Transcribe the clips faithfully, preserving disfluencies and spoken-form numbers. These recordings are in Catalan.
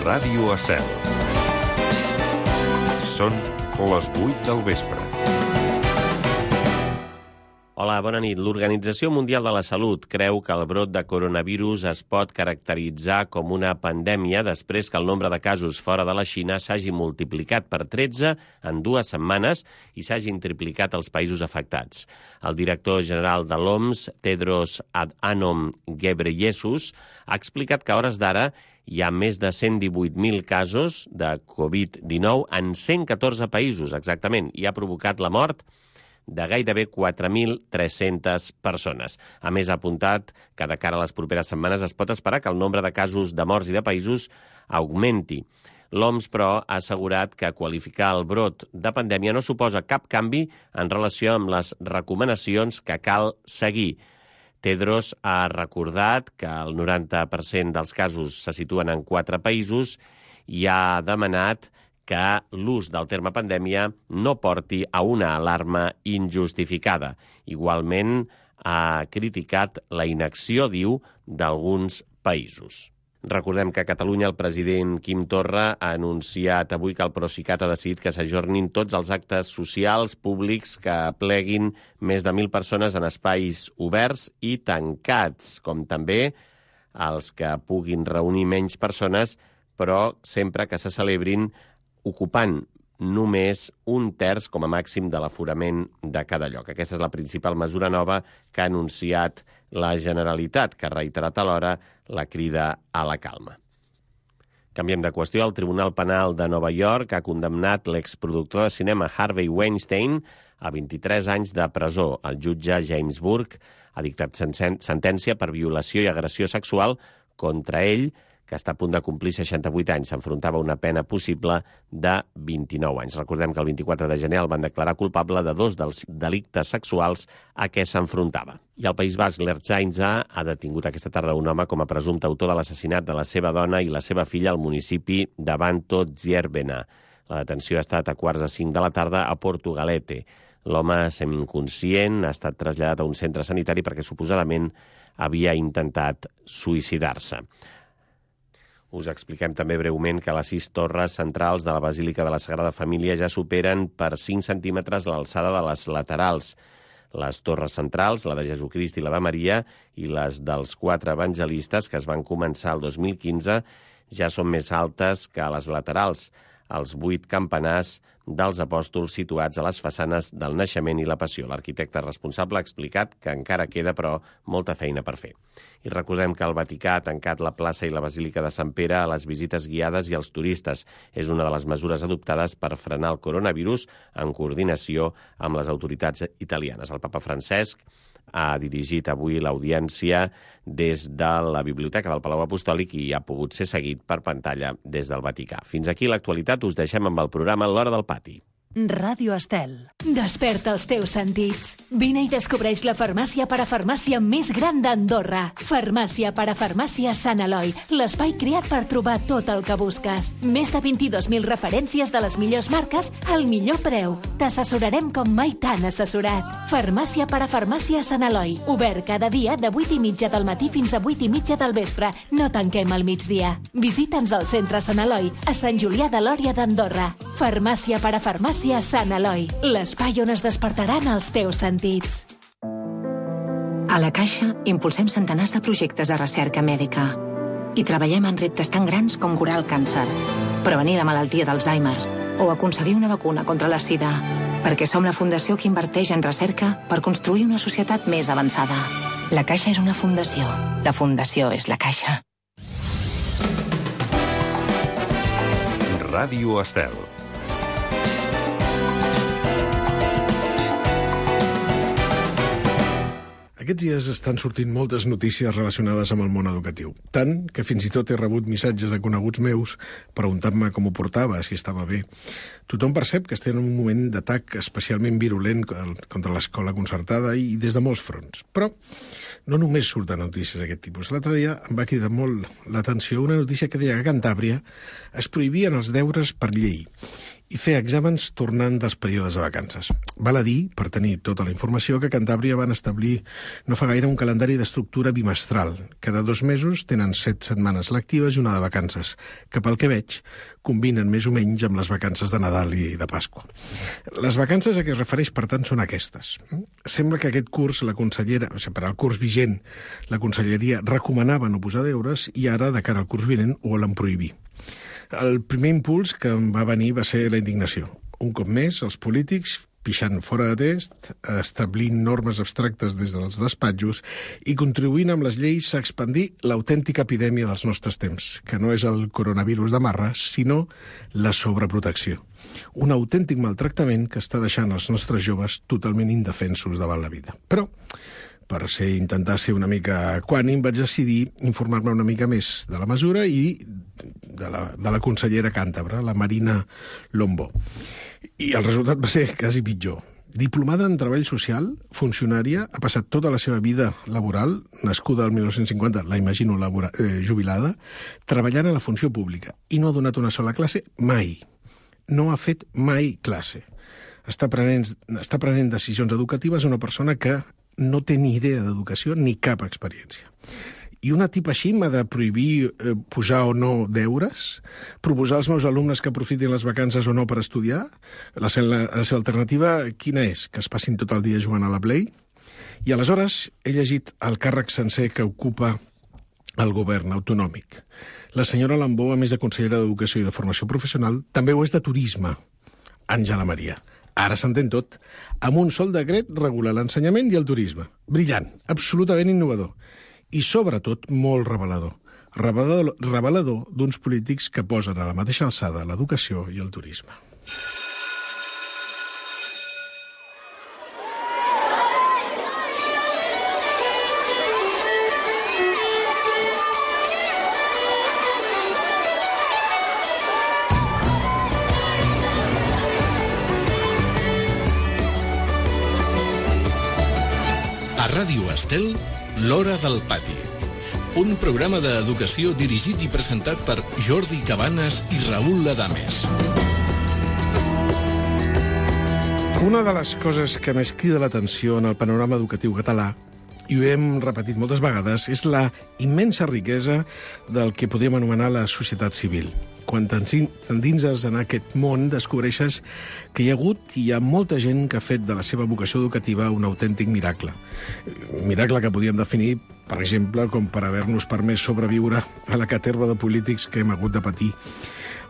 Ràdio Estel. Són les vuit del vespre. Hola, bona nit. L'Organització Mundial de la Salut creu que el brot de coronavirus es pot caracteritzar com una pandèmia després que el nombre de casos fora de la Xina s'hagi multiplicat per tretze en dues setmanes i s'hagin triplicat els països afectats. El director general de l'O M S, Tedros Adhanom Ghebreyesus, ha explicat que a hores d'ara hi ha més de cent divuit mil casos de covid dinou en cent catorze països, exactament, i ha provocat la mort de gairebé quatre mil tres-centes persones. A més, ha apuntat que de cara a les properes setmanes es pot esperar que el nombre de casos de morts i de països augmenti. L'O M S, però, ha assegurat que qualificar el brot de pandèmia no suposa cap canvi en relació amb les recomanacions que cal seguir. Tedros ha recordat que el noranta per cent dels casos se situen en quatre països i ha demanat que l'ús del terme pandèmia no porti a una alarma injustificada. Igualment, ha criticat la inacció, diu, d'alguns països. Recordem que a Catalunya el president Quim Torra ha anunciat avui que el Procicat ha decidit que s'ajornin tots els actes socials públics que pleguin més de mil persones en espais oberts i tancats, com també els que puguin reunir menys persones, però sempre que se celebrin ocupant només un terç com a màxim de l'aforament de cada lloc. Aquesta és la principal mesura nova que ha anunciat la Generalitat, que ha reiterat alhora la crida a la calma. Canviem de qüestió. El Tribunal Penal de Nova York ha condemnat l'exproductor de cinema Harvey Weinstein a vint-i-tres anys de presó. El jutge James Burke ha dictat sentència per violació i agressió sexual contra ell, que està a punt de complir seixanta-vuit anys. S'enfrontava a una pena possible de vint-i-nou anys. Recordem que el vint-i-quatre de gener el van declarar culpable de dos dels delictes sexuals a què s'enfrontava. I al País Basc, l'Ertzaintza ha detingut aquesta tarda un home com a presumpte autor de l'assassinat de la seva dona i la seva filla al municipi de Banto Dzierbena. La detenció ha estat a quarts de cinc de la tarda a Portugalete. L'home semi-inconscient ha estat traslladat a un centre sanitari perquè suposadament havia intentat suïcidar-se. Us expliquem també breument que les sis torres centrals de la Basílica de la Sagrada Família ja superen per cinc centímetres l'alçada de les laterals. Les torres centrals, la de Jesucrist i la de Maria, i les dels quatre evangelistes, que es van començar el dos mil quinze, ja són més altes que les laterals, els vuit campanars dels apòstols situats a les façanes del Naixement i la Passió. L'arquitecte responsable ha explicat que encara queda, però, molta feina per fer. I recordem que el Vaticà ha tancat la plaça i la Basílica de Sant Pere a les visites guiades i als turistes. És una de les mesures adoptades per frenar el coronavirus en coordinació amb les autoritats italianes. El papa Francesc ha dirigit avui l'audiència des de la Biblioteca del Palau Apostòlic i ha pogut ser seguit per pantalla des del Vaticà. Fins aquí l'actualitat. Us deixem amb el programa L'Hora del Pati. Ràdio Estel. Desperta els teus sentits. Vine i descobreix la farmàcia parafarmàcia més gran d'Andorra. Farmàcia parafarmàcia Sant Eloi, l'espai creat per trobar tot el que busques. Més de vint-i-dos mil referències de les millors marques al millor preu. T'assessorarem com mai t'han assessorat. Farmàcia parafarmàcia Sant Eloi. Obert cada dia de vuit i mitja del matí fins a vuit i mitja del vespre. No tanquem al migdia. Visita'ns al centre Sant Eloi, a Sant Julià de Lòria d'Andorra. Farmàcia parafarmàcia Sant Eloi, l'espai on es despertaran els teus sentits. A la Caixa impulsem centenars de projectes de recerca mèdica i treballem en reptes tan grans com curar el càncer, prevenir la malaltia d'Alzheimer o aconseguir una vacuna contra la sida, perquè som la fundació que inverteix en recerca per construir una societat més avançada. La Caixa és una fundació. La fundació és la Caixa. Ràdio Estel. Aquests dies estan sortint moltes notícies relacionades amb el món educatiu. Tant que fins i tot he rebut missatges de coneguts meus preguntant-me com ho portava, si estava bé. Tothom percep que estem en un moment d'atac especialment virulent contra l'escola concertada i des de molts fronts. Però no només surten notícies d'aquest tipus. L'altre dia em va cridar molt l'atenció una notícia que deia que a Cantàbria es prohibien els deures per llei i fer exàmens tornant dels períodes de vacances. Val a dir, per tenir tota la informació, que a Cantàbria van establir no fa gaire un calendari d'estructura bimestral. Cada dos mesos tenen set setmanes lectives i una de vacances, que pel que veig combinen més o menys amb les vacances de Nadal i de Pasqua. Les vacances a què es refereix, per tant, són aquestes. Sembla que aquest curs la consellera, o sigui, per al curs vigent, la conselleria recomanava no posar deures i ara, de cara al curs vinent, ho volen prohibir. El primer impuls que em va venir va ser la indignació. Un cop més, els polítics pixant fora de test, establint normes abstractes des dels despatxos i contribuint amb les lleis a expandir l'autèntica epidèmia dels nostres temps, que no és el coronavirus de marra, sinó la sobreprotecció. Un autèntic maltractament que està deixant els nostres joves totalment indefensos davant la vida. Però, per ser, intentar ser una mica equànim, vaig decidir informar-me una mica més de la mesura i de la, de la consellera càntabra, la Marina Lombó. I el resultat va ser quasi pitjor. Diplomada en Treball Social, funcionària, ha passat tota la seva vida laboral, nascuda al dinou cinquanta, la imagino labora, eh, jubilada, treballant a la funció pública, i no ha donat una sola classe mai. No ha fet mai classe. Està prenent, està prenent decisions educatives una persona que no té ni idea d'educació ni cap experiència. I una tipa així m'ha de prohibir eh, posar o no deures? Proposar als meus alumnes que aprofitin les vacances o no per estudiar? La, la, la seva alternativa quina és? Que es passin tot el dia jugant a la Play? I aleshores he llegit el càrrec sencer que ocupa el govern autonòmic. La senyora Lombó, a més de consellera d'Educació i de Formació Professional, també ho és de Turisme. Àngela Maria. Ara s'entén tot. Amb un sol decret regula l'ensenyament i el turisme. Brillant, absolutament innovador. I, sobretot, molt revelador. Revelador, revelador d'uns polítics que posen a la mateixa alçada l'educació i el turisme. A Ràdio Estel, L'Hora del Pati. Un programa d'educació dirigit i presentat per Jordi Cabanes i Raül Ladames. Una de les coses que més crida l'atenció en el panorama educatiu català, i ho hem repetit moltes vegades, és la immensa riquesa del que podríem anomenar la societat civil. Quan t'endinses en aquest món, descobreixes que hi ha hagut i hi ha molta gent que ha fet de la seva vocació educativa un autèntic miracle. Un miracle que podríem definir, per exemple, com per haver-nos permès sobreviure a la caterva de polítics que hem hagut de patir.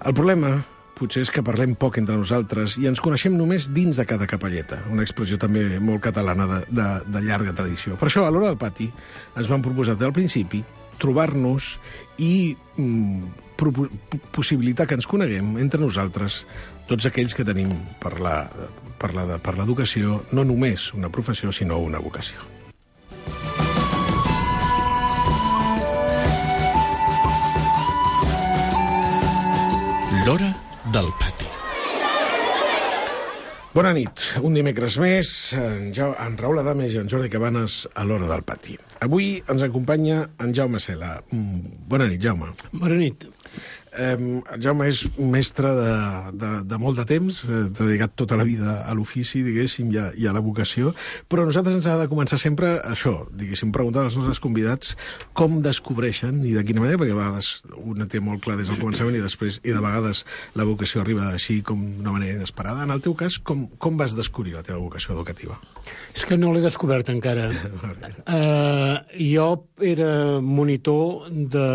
El problema potser és que parlem poc entre nosaltres i ens coneixem només dins de cada capelleta, una expressió també molt catalana de, de, de llarga tradició. Per això, a l'Hora del Pati, ens vam proposar des del principi trobar-nos i mm, possibilitar que ens coneguem entre nosaltres tots aquells que tenim per la, per la, per l'educació no només una professió, sinó una vocació. L'Hora del Pati. Bona nit. Un dimecres més, en, ja en Raül Ladames i en Jordi Cabanes a l'Hora del Pati. Avui ens acompanya en Jaume Cela. Bona nit, Jaume. Bona nit. Eh, Jaume és un mestre de, de, de molt de temps, eh, dedicat tota la vida a l'ofici, diguéssim, i a, i a la vocació, però nosaltres ens ha de començar sempre això, diguéssim, preguntar als nostres convidats com descobreixen i de quina manera, perquè a vegades una té molt clar des del començament i després, i de vegades la vocació arriba així com d'una manera inesperada. En el teu cas, com, com vas descobrir la teva vocació educativa? És que no l'he descobert encara. uh, jo era monitor de...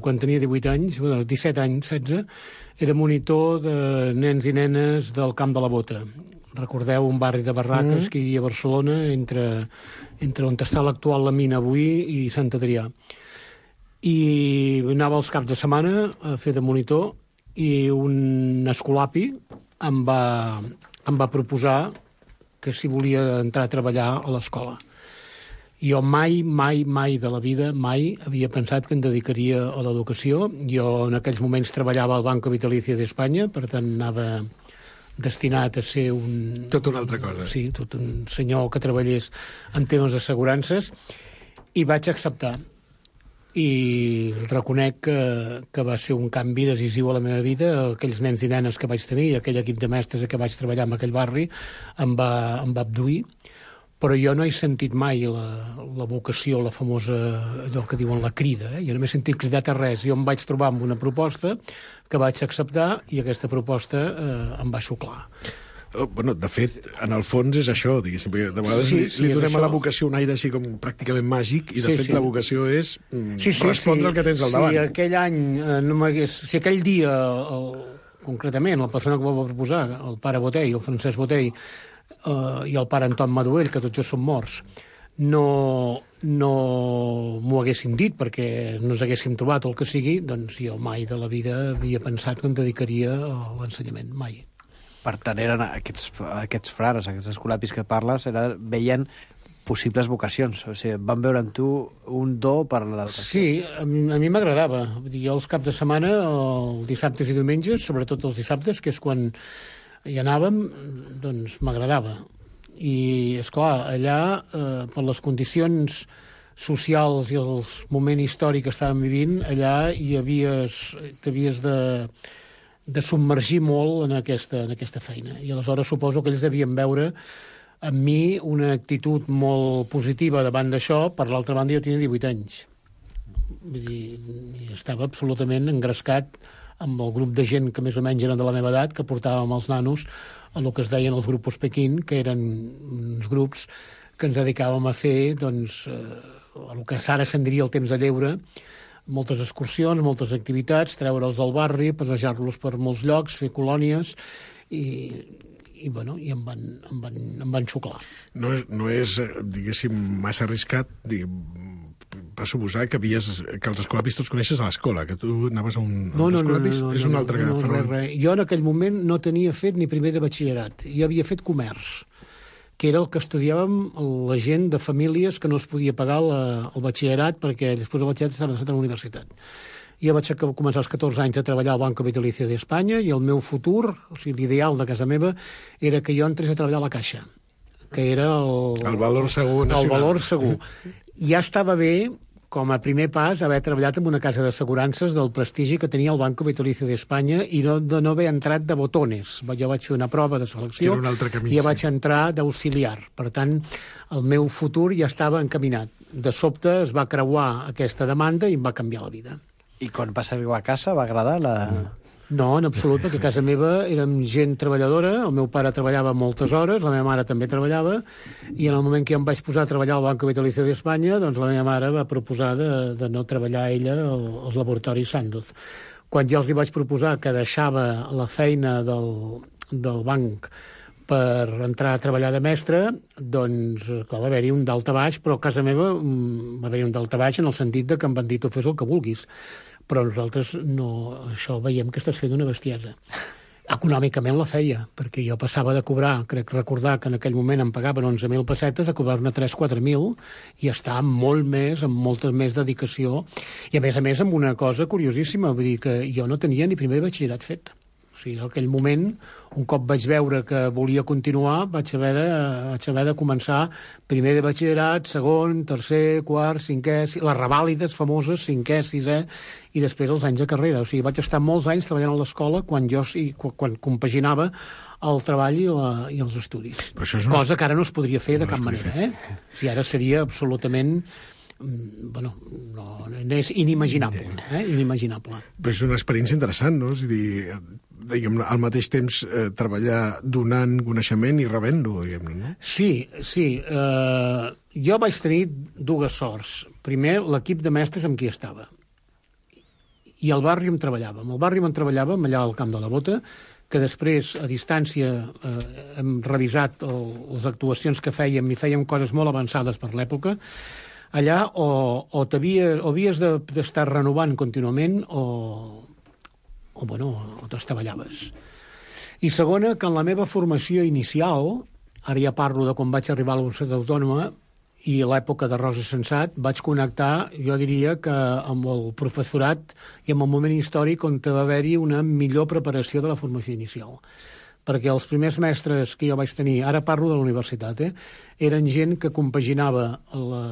quan tenia divuit anys, bueno, als disset anys, setze, era monitor de nens i nenes del Camp de la Bota. Recordeu un barri de barraques mm. que hi havia a Barcelona entre, entre on està l'actual La Mina avui i Sant Adrià. I anava els caps de setmana a fer de monitor i un escolapi em va, em va proposar que si volia entrar a treballar a l'escola. Jo mai, mai, mai de la vida, mai havia pensat que em dedicaria a l'educació. Jo en aquells moments treballava al Banco Vitalicio d'Espanya, per tant anava destinat a ser un... Tot una altra cosa. Sí, tot un senyor que treballés en temes d'assegurances, i vaig acceptar. i reconec que, que va ser un canvi decisiu a la meva vida. Aquells nens i nenes que vaig tenir i aquell equip de mestres que vaig treballar en aquell barri em va, em va abduir, però jo no he sentit mai la, la vocació, la famosa, allò que diuen la crida. Eh? Jo no m'he sentit cridat a res. Jo em vaig trobar amb una proposta que vaig acceptar i aquesta proposta eh, em va xuclar. Oh, bueno, de fet, en el fons és això, diguéssim, perquè de vegades Sí, li, sí, li és donem això. a la vocació un aire així com pràcticament màgic, i de Sí, fet sí. la vocació és mm, Sí, sí, respondre sí. al que tens al si davant. aquell any eh, no m'hagués... Si aquell dia, el, concretament, la persona que m'ho va proposar, el pare Botell, el Francesc Botell, eh, i el pare Anton Maduell, que tots dos són morts, no, no m'ho haguessin dit perquè no ens haguéssim trobat o el que sigui, doncs jo mai de la vida havia pensat que em dedicaria a l'ensenyament, mai. Per tant, eren aquests, aquests frares, aquests escolapis que parles, era, veien possibles vocacions. O sigui, van veure en tu un do per l'educació. Sí, a mi, a mi m'agradava. Vull dir, jo els caps de setmana, els dissabtes i diumenges, sobretot els dissabtes, que és quan hi anàvem, doncs m'agradava. I, esclar, allà, eh, per les condicions socials i el moment històric que estàvem vivint, allà hi havies, t'havies de... de submergir molt en aquesta, en aquesta feina. I aleshores suposo que ells devien veure en mi una actitud molt positiva davant d'això. Per l'altra banda, jo tenia divuit anys. Vull dir, i estava absolutament engrescat amb el grup de gent que més o menys eren de la meva edat, que portàvem els nanos a el que es deien els grupos Pequín, que eren uns grups que ens dedicàvem a fer, doncs, eh, el que ara se'n diria el temps de lleure, moltes excursions, moltes activitats, treure'ls al barri, passejar-los per molts llocs, fer colònies, i, i, bueno, i em van, em van, em van xuclar. No és, no és, diguéssim, massa arriscat, diguem, va suposar que, havies, que els escolapis tots coneixes a l'escola, que tu anaves a un, No, a un no, no, escolapis, no, no, és un no, altre no, no, fenomen. res, res. Jo en aquell moment no tenia fet ni primer de batxillerat, jo havia fet comerç, que era el que estudiàvem la gent de famílies que no es podia pagar la, el batxillerat perquè després del batxillerat estaven a la universitat. Jo vaig començar als catorze anys a treballar al Banco Vitalicio d'Espanya i el meu futur, o sigui, l'ideal de casa meva, era que jo entrés a treballar a la Caixa, que era el... El valor segur nacional. El valor segur. Ja estava bé, com a primer pas, haver treballat en una casa d'assegurances del prestigi que tenia el Banco Vitalicio d'Espanya i no, de no haver entrat de botones. Jo vaig fer una prova de selecció Era un altre camí, i ja sí. vaig entrar d'auxiliar. Per tant, el meu futur ja estava encaminat. De sobte es va creuar aquesta demanda i em va canviar la vida. I quan vas arribar a casa va agradar la... No, en absolut, perquè a casa meva érem gent treballadora, el meu pare treballava moltes hores, la meva mare també treballava, i en el moment que jo em vaig posar a treballar al Banco Vitalicio d'Espanya, doncs la meva mare va proposar de, de no treballar ella als laboratoris Sandoz. Quan jo els hi vaig proposar que deixava la feina del, del banc per entrar a treballar de mestre, doncs, clar, va haver-hi un daltabaix, però a casa meva va haver-hi un daltabaix en el sentit de que em van dir tu fes el que vulguis. Però nosaltres no, això veiem que estàs fent una bestiesa. Econòmicament la feia, perquè jo passava de cobrar, crec recordar que en aquell moment em pagaven onze mil pessetes, a cobrar-ne tres quatre mil, i estar molt més, amb molta més dedicació, i a més a més amb una cosa curiosíssima, vull dir que jo no tenia ni primer batxillerat fet. O sigui, en aquell moment, un cop vaig veure que volia continuar, vaig haver de, vaig haver de començar primer de batxillerat, segon, tercer, quart, cinquè, les revàlides famoses, cinquè, sisè, i després els anys de carrera. O sigui, vaig estar molts anys treballant a l'escola quan jo sí, quan compaginava el treball i, la, i els estudis. Una... Cosa que ara no es podria fer de no cap manera. Eh? O sigui, ara seria absolutament... bueno, no, és inimaginable, eh? inimaginable. Però és una experiència interessant, no? És a dir, diguem, al mateix temps eh, treballar donant coneixement i rebent-lo, diguem-ne, no? Sí, sí. Eh, jo vaig tenir dues sorts. Primer, l'equip de mestres amb qui estava. I al barri on treballàvem. Al barri on treballàvem, allà al Camp de la Bota, que després, a distància, eh, hem revisat el, les actuacions que fèiem i fèiem coses molt avançades per l'època. Allà o, o, o havies d'estar renovant contínuament o, o, bueno, o t'estavellaves. I segona, que en la meva formació inicial, ara ja parlo de quan vaig arribar a la Universitat Autònoma i a l'època de Rosa Sensat, vaig connectar, jo diria que amb el professorat i amb el moment històric on va haver-hi una millor preparació de la formació inicial. perquè els primers mestres que jo vaig tenir, ara parlo de la universitat, eh, eren gent que compaginava la,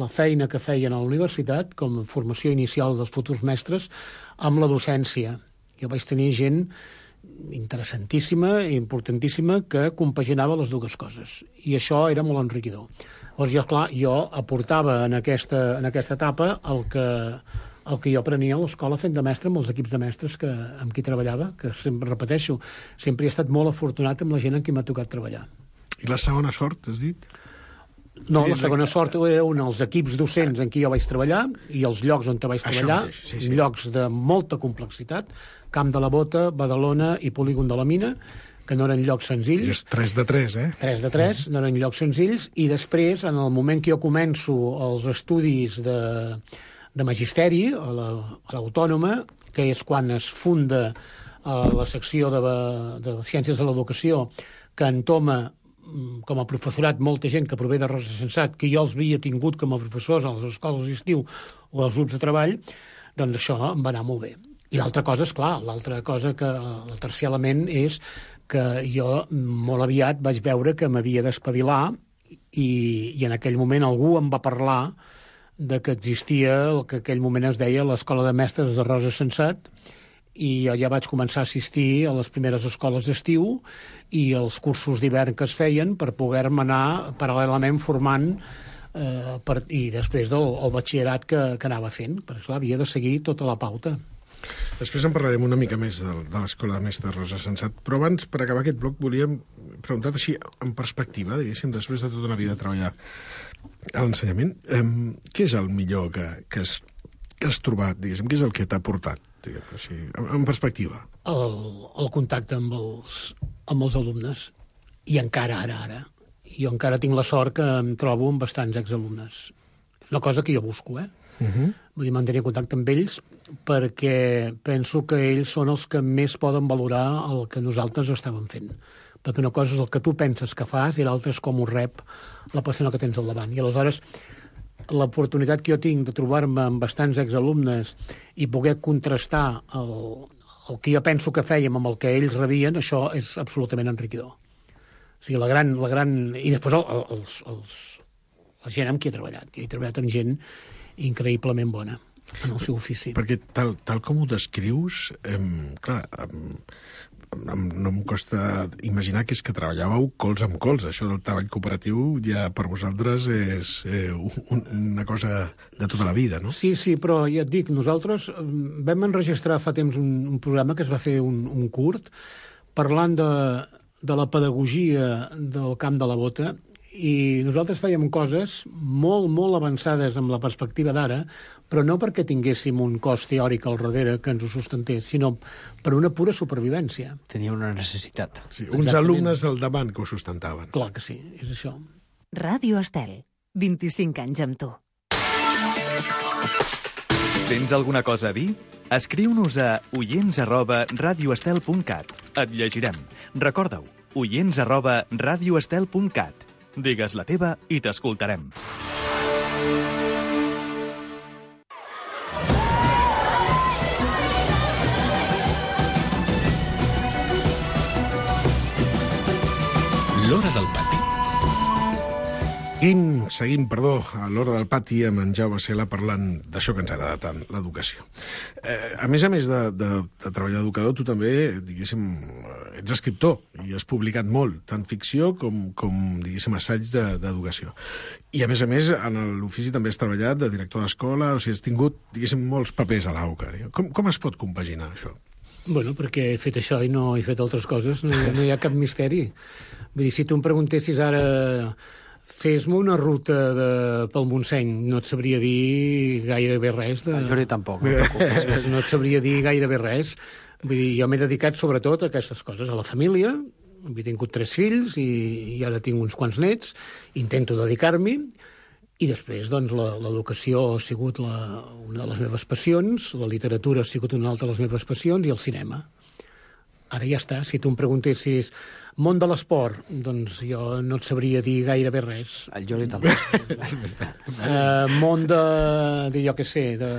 la feina que feien a la universitat, com a formació inicial dels futurs mestres, amb la docència. Jo vaig tenir gent interessantíssima i importantíssima que compaginava les dues coses. I això era molt enriquidor. Llavors, jo, clar, jo aportava en aquesta, en aquesta etapa el que, el que jo aprenia a l'escola fent de mestre amb els equips de mestres que, amb qui treballava, que sempre repeteixo, sempre he estat molt afortunat amb la gent amb qui m'ha tocat treballar. I la segona sort, has dit? No, la segona sort era un dels equips docents en qui jo vaig treballar i els llocs on vaig treballar, mateix, sí, sí. Llocs de molta complexitat, Camp de la Bota, Badalona i Polígon de la Mina, que no eren llocs senzills. I és tres de tres, eh? tres de tres, no eren llocs senzills, i després, en el moment que jo començo els estudis de, de magisteri a l'Autònoma, la, que és quan es funda a la secció de, de Ciències de l'Educació, que entoma com a professorat molta gent que prové de Rosa Sensat, que jo els havia tingut com a professors a les escoles d'estiu o als grups de treball, doncs això em va anar molt bé. I l'altra cosa, és clar, l'altra cosa, que el tercer element és que jo molt aviat vaig veure que m'havia d'espavilar i, i en aquell moment algú em va parlar de que existia el que en aquell moment es deia l'Escola de Mestres de Rosa Sensat, i jo ja vaig començar a assistir a les primeres escoles d'estiu i als cursos d'hivern que es feien per poder-me anar paral·lelament formant eh, per, i després del el batxillerat que, que anava fent, perquè esclar, havia de seguir tota la pauta. Després en parlarem una mica més de, de l'Escola de Mestres Rosa Sensat, però abans, per acabar aquest bloc, volíem preguntar així, en perspectiva, diguéssim, després de tota una vida de treballar a l'ensenyament, eh, què és el millor que, que, has, que has trobat, diguéssim, què és el que t'ha portat? Així, en perspectiva. El, el contacte amb els, amb els alumnes. I encara ara, ara. Jo encara tinc la sort que em trobo amb bastants exalumnes. És una cosa que jo busco, eh? Uh-huh. Vull dir, mantenir contacte amb ells perquè penso que ells són els que més poden valorar el que nosaltres estàvem fent. Perquè una cosa és el que tu penses que fas i l'altra és com ho rep la persona que tens al davant. I aleshores l'oportunitat que jo tinc de trobar-me amb bastants exalumnes i poder contrastar el, el que jo penso que fèiem amb el que ells rebien, això és absolutament enriquidor. O sigui, la gran... La gran... I després el, els, els, la gent amb qui he treballat. He treballat amb gent increïblement bona en el seu ofici. Perquè tal, tal com ho descrius, eh, clar, eh, no em costa imaginar que és que treballàveu cols amb cols. Això del treball cooperatiu ja per vosaltres és eh, un, una cosa de tota la vida, no? Sí, sí, però ja et dic, nosaltres vam enregistrar fa temps un, un programa que es va fer un, un curt parlant de, de la pedagogia del Camp de la Bota, i nosaltres fèiem coses molt, molt avançades amb la perspectiva d'ara, però no perquè tinguéssim un cos teòric al darrere que ens ho sustentés, sinó per una pura supervivència. Tenia una necessitat. Sí, uns Exactament. Alumnes al davant que ho sustentaven. Clar que sí, és això. Ràdio Estel, vint-i-cinc anys amb tu. Tens alguna cosa a dir? Escriu-nos a oients arroba radioestel punt cat. Et llegirem. Recorda-ho, oients arroba radioestel punt cat. Digues la teva i t'escoltarem. L'Hora del Pati. Seguim, seguim, perdó, a l'Hora del Pati amb en Jaume Sela parlant d'això que ens agrada tant, l'educació. Eh, a més a més de, de, de treballar d'educador, tu també, diguéssim, ets escriptor i has publicat molt, tant ficció com, com diguéssim, assaig d'educació. I a més a més, en l'ofici també has treballat de director d'escola, o sigui, has tingut, diguéssim, molts papers a l'AUCA. Com, com es pot compaginar això? Bueno, perquè he fet això i no he fet altres coses, no, no hi ha cap misteri. Vull dir, si tu em preguntessis ara fes-me una ruta de, pel Montseny, no et sabria dir gairebé res. De... Jo ni tampoc. No, no et sabria dir gairebé res. Vull dir, jo m'he dedicat sobretot a aquestes coses, a la família. He tingut tres fills i, i ara tinc uns quants nets. Intento dedicar-m'hi. I després, doncs, l'educació ha sigut la, una de les meves passions, la literatura ha sigut una altra de les meves passions i el cinema. Ara ja està. Si tu em preguntessis món de l'esport, doncs jo no et sabria dir gairebé res. El Jordi també. uh, món de, de, jo què sé, de,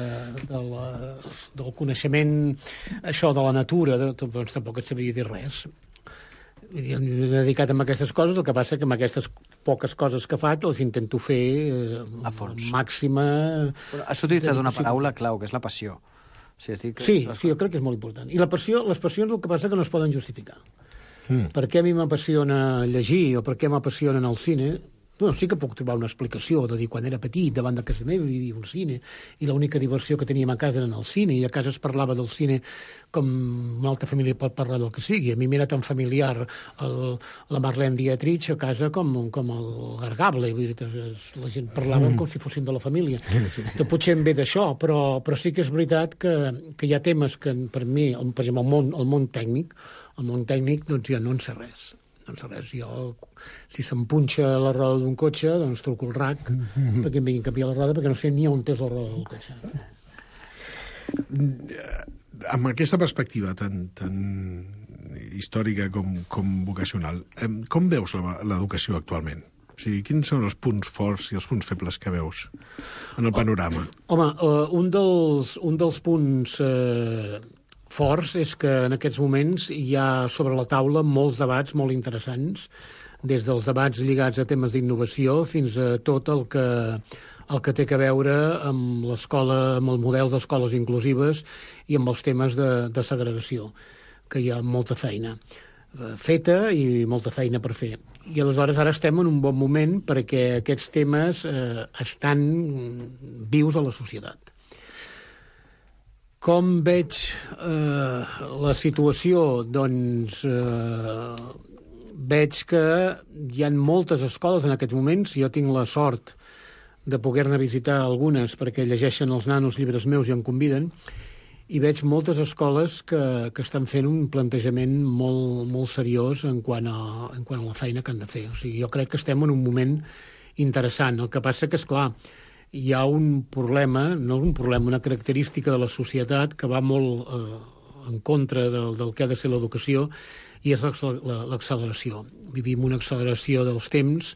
de la, del coneixement, això de la natura, de, doncs tampoc et sabria dir res. m'he dedicat a aquestes coses, el que passa que amb aquestes poques coses que faig les intento fer eh, a fons. Màxima... Però has utilitzat una paraula clau, que és la passió. O sigui, que... Sí, sí, jo crec que és molt important. I la passió, les passions el que passa que no es poden justificar. Mm. Per què a mi m'apassiona llegir o per què m'apassiona el cine? Bueno, sí que puc trobar una explicació de dir quan era petit, davant de casa meva, hi havia un cine, i l'única diversió que teníem a casa era el cine, i a casa es parlava del cine com una altra família pot parlar del que sigui. A mi m'era tan familiar el, la Marlene Dietrich a casa com, com el Gargable. Vull dir, la gent parlava mm. com si fossin de la família. Sí. Que potser em ve d'això, però, però sí que és veritat que, que hi ha temes que per mi, per exemple, el món, el món tècnic, el món tècnic, doncs ja no en sé res. No sé res, jo, si se'm punxa la roda d'un cotxe, doncs truco el R A C mm-hmm. perquè em vinguin a canviar la roda, perquè no sé ni on és la roda del cotxe. Amb aquesta perspectiva tan, tan històrica com, com vocacional, com veus l'educació actualment? O sigui, quins són els punts forts i els punts febles que veus en el panorama? Home, uh, un, dels, un dels punts... Uh, forts és que en aquests moments hi ha sobre la taula molts debats molt interessants, des dels debats lligats a temes d'innovació fins a tot el que, el que té a veure amb l'escola, amb el model d'escoles inclusives i amb els temes de, de segregació, que hi ha molta feina feta i molta feina per fer. I aleshores ara estem en un bon moment perquè aquests temes eh, estan vius a la societat. Com veig eh, la situació? Doncs eh, veig que hi ha moltes escoles en aquests moments. Jo tinc la sort de poder-ne visitar algunes perquè llegeixen els nanos llibres meus i em conviden, i veig moltes escoles que, que estan fent un plantejament molt, molt seriós en quant, a, en quant a la feina que han de fer. O sigui, jo crec que estem en un moment interessant. El que passa que, és clar, hi ha un problema, no un problema, una característica de la societat que va molt eh, en contra del, del que ha de ser l'educació, i és l'acceleració. Vivim una acceleració dels temps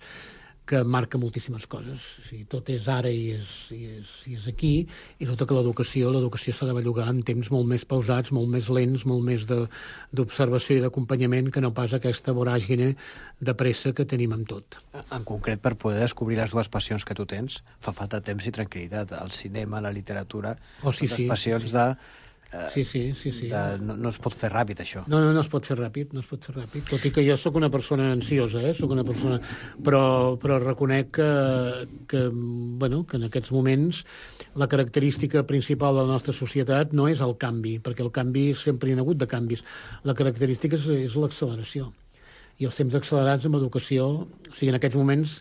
que marca moltíssimes coses. O sigui, tot és ara i és, i és, i és aquí, i resulta que l'educació l'educació s'ha de bellugar en temps molt més pausats, molt més lents, molt més d'observació i d'acompanyament que no pas aquesta voràgine de pressa que tenim amb tot. En concret, per poder descobrir les dues passions que tu tens, fa falta temps i tranquil·litat. El cinema, la literatura, oh, sí, les sí, passions sí. de... Eh, sí, sí, sí, sí. De, no, no es pot fer ràpid, això. No, no, no es pot fer ràpid, no es pot fer ràpid. Tot i que jo sóc una persona ansiosa, eh? Sóc una persona... Però, però reconec que, que, bueno, que en aquests moments la característica principal de la nostra societat no és el canvi, perquè el canvi sempre hi ha hagut de canvis. La característica és, és l'acceleració. I els temps accelerats amb educació... O sigui, en aquests moments,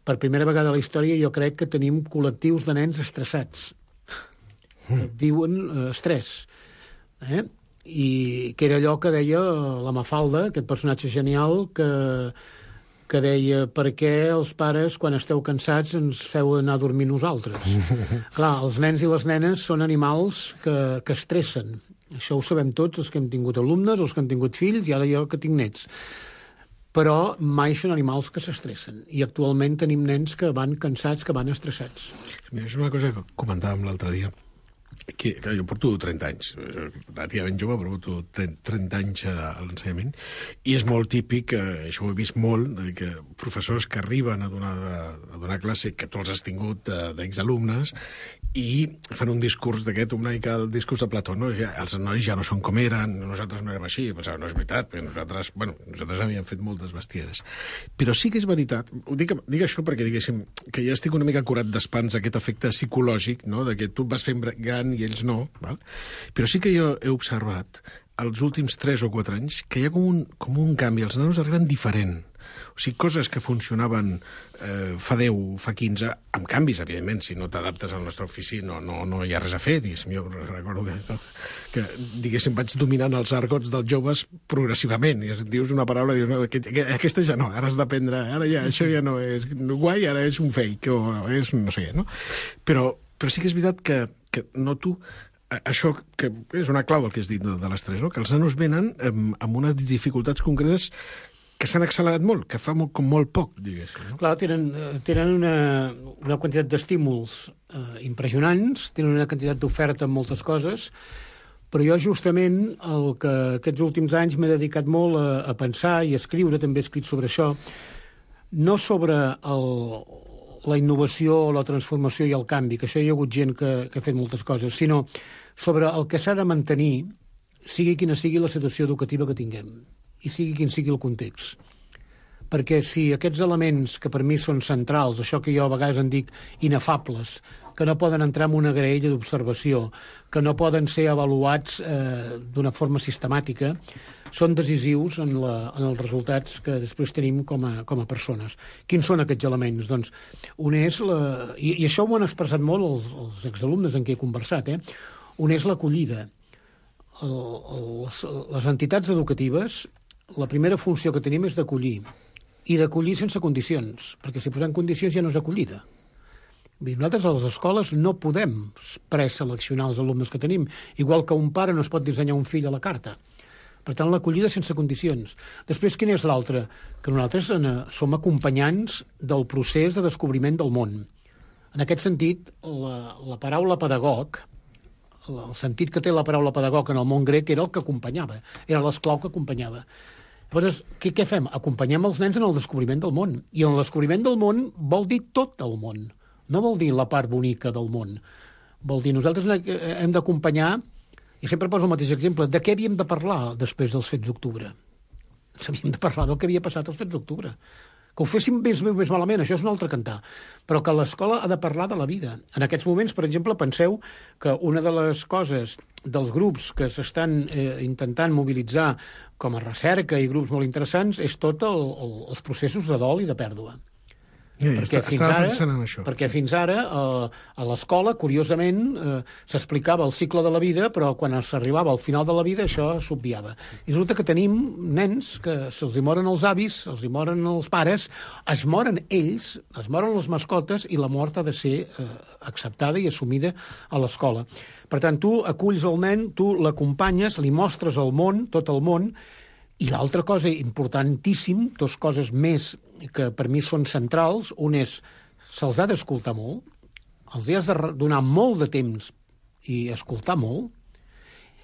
per primera vegada a la història, jo crec que tenim col·lectius de nens estressats. Viuen eh, estrès, eh? I que era allò que deia la Mafalda, aquest personatge genial que, que deia per què els pares quan esteu cansats ens feu anar a dormir nosaltres. Clar, els nens i les nenes són animals que, que estressen. Això ho sabem tots, els que hem tingut alumnes, els que han tingut fills, i ara jo que tinc nets. Però mai són animals que s'estressen. I actualment tenim nens que van cansats, que van estressats. Mira, és una cosa que comentàvem l'altre dia, que, que jo porto trenta anys, relativament jove, però porto trenta anys a l'ensenyament, i és molt típic, eh, això ho he vist molt, que professors que arriben a donar, a donar classe, que tu els has tingut d'exalumnes, i fan un discurs d'aquest, una mica el discurs de Plató, no? Ja, els nois ja no són com eren, nosaltres no érem així, pensava, no és veritat, perquè nosaltres, bueno, nosaltres havíem fet moltes bestieres. Però sí que és veritat, ho dic, dic això perquè, diguéssim, que ja estic una mica curat d'espans aquest efecte psicològic, no?, de que tu vas fent gran i ells no, val? Però sí que jo he observat els últims tres o quatre anys que hi ha com un, com un canvi, els nanos arriben diferent. O sigui, coses que funcionaven eh, fa deu, fa quinze, amb canvis, evidentment, si no t'adaptes al nostre ofici no, no, no hi ha res a fer, diguéssim. Jo recordo que, que diguéssim, vaig dominant els argots dels joves progressivament, i dius una paraula i dius, no, aquest, aquesta ja no, ara has d'aprendre, ara ja, això ja no és guai, ara és un fake, o és no sé, no? Però, però sí que és veritat que, que noto això, que és una clau del que has dit de, de l'estrès, no? Que els nanos venen amb, amb unes dificultats concretes que s'han accelerat molt, que fa molt, com molt poc, diguéssim. No? Clar, tenen, tenen una, una quantitat d'estímuls eh, impressionants, tenen una quantitat d'oferta en moltes coses, Però jo justament el que aquests últims anys m'he dedicat molt a, a pensar i a escriure, també he escrit sobre això, no sobre el, la innovació, la transformació i el canvi, que això hi ha hagut gent que, que ha fet moltes coses, sinó sobre el que s'ha de mantenir, sigui quina sigui la situació educativa que tinguem, i sigui quin sigui el context. Perquè si aquests elements que per mi són centrals, això que jo a vegades en dic inefables, que no poden entrar en una graella d'observació, que no poden ser avaluats eh, d'una forma sistemàtica, són decisius en, la, en els resultats que després tenim com a, com a persones. Quins són aquests elements? Doncs un és la... I, i això ho han expressat molt els, els exalumnes en què he conversat, eh? Un és l'acollida. El, el, les, les entitats educatives, la primera funció que tenim és d'acollir, i d'acollir sense condicions, perquè si posem condicions ja no és acollida. Nosaltres a les escoles no podem preseleccionar els alumnes que tenim, igual que un pare no es pot dissenyar un fill a la carta. Per tant, l'acollida sense condicions. Després, quina és l'altra? Que nosaltres som acompanyants del procés de descobriment del món. En aquest sentit, la, la paraula pedagog, el sentit que té la paraula pedagog en el món grec era el que acompanyava, era l'esclau que acompanyava. Llavors, què, què fem? Acompanyem els nens en el descobriment del món. I en el descobriment del món vol dir tot el món. No vol dir la part bonica del món. Vol dir, nosaltres hem d'acompanyar, i sempre poso el mateix exemple, de què havíem de parlar després dels fets d'octubre? Havíem de parlar del que havia passat als fets d'octubre. Que ho féssim més, més malament, això és un altre cantar. Però que l'escola ha de parlar de la vida. En aquests moments, per exemple, penseu que una de les coses dels grups que s'estan eh, intentant mobilitzar com a recerca i grups molt interessants és tot el, el, els processos de dol i de pèrdua. Ja, ja, perquè, està, fins ara, pensant en això. perquè fins ara eh, a l'escola, curiosament, eh, s'explicava el cicle de la vida, però quan s'arribava al final de la vida això s'obviava. I resulta que tenim nens que se'ls hi moren els avis, se'ls hi moren els pares, es moren ells, es moren les mascotes, i la mort ha de ser eh, acceptada i assumida a l'escola. Per tant, tu aculls el nen, tu l'acompanyes, li mostres el món, tot el món, i l'altra cosa importantíssim, dues coses més que per mi són centrals, un és, se'ls ha d'escoltar molt, els has de donar molt de temps i escoltar molt,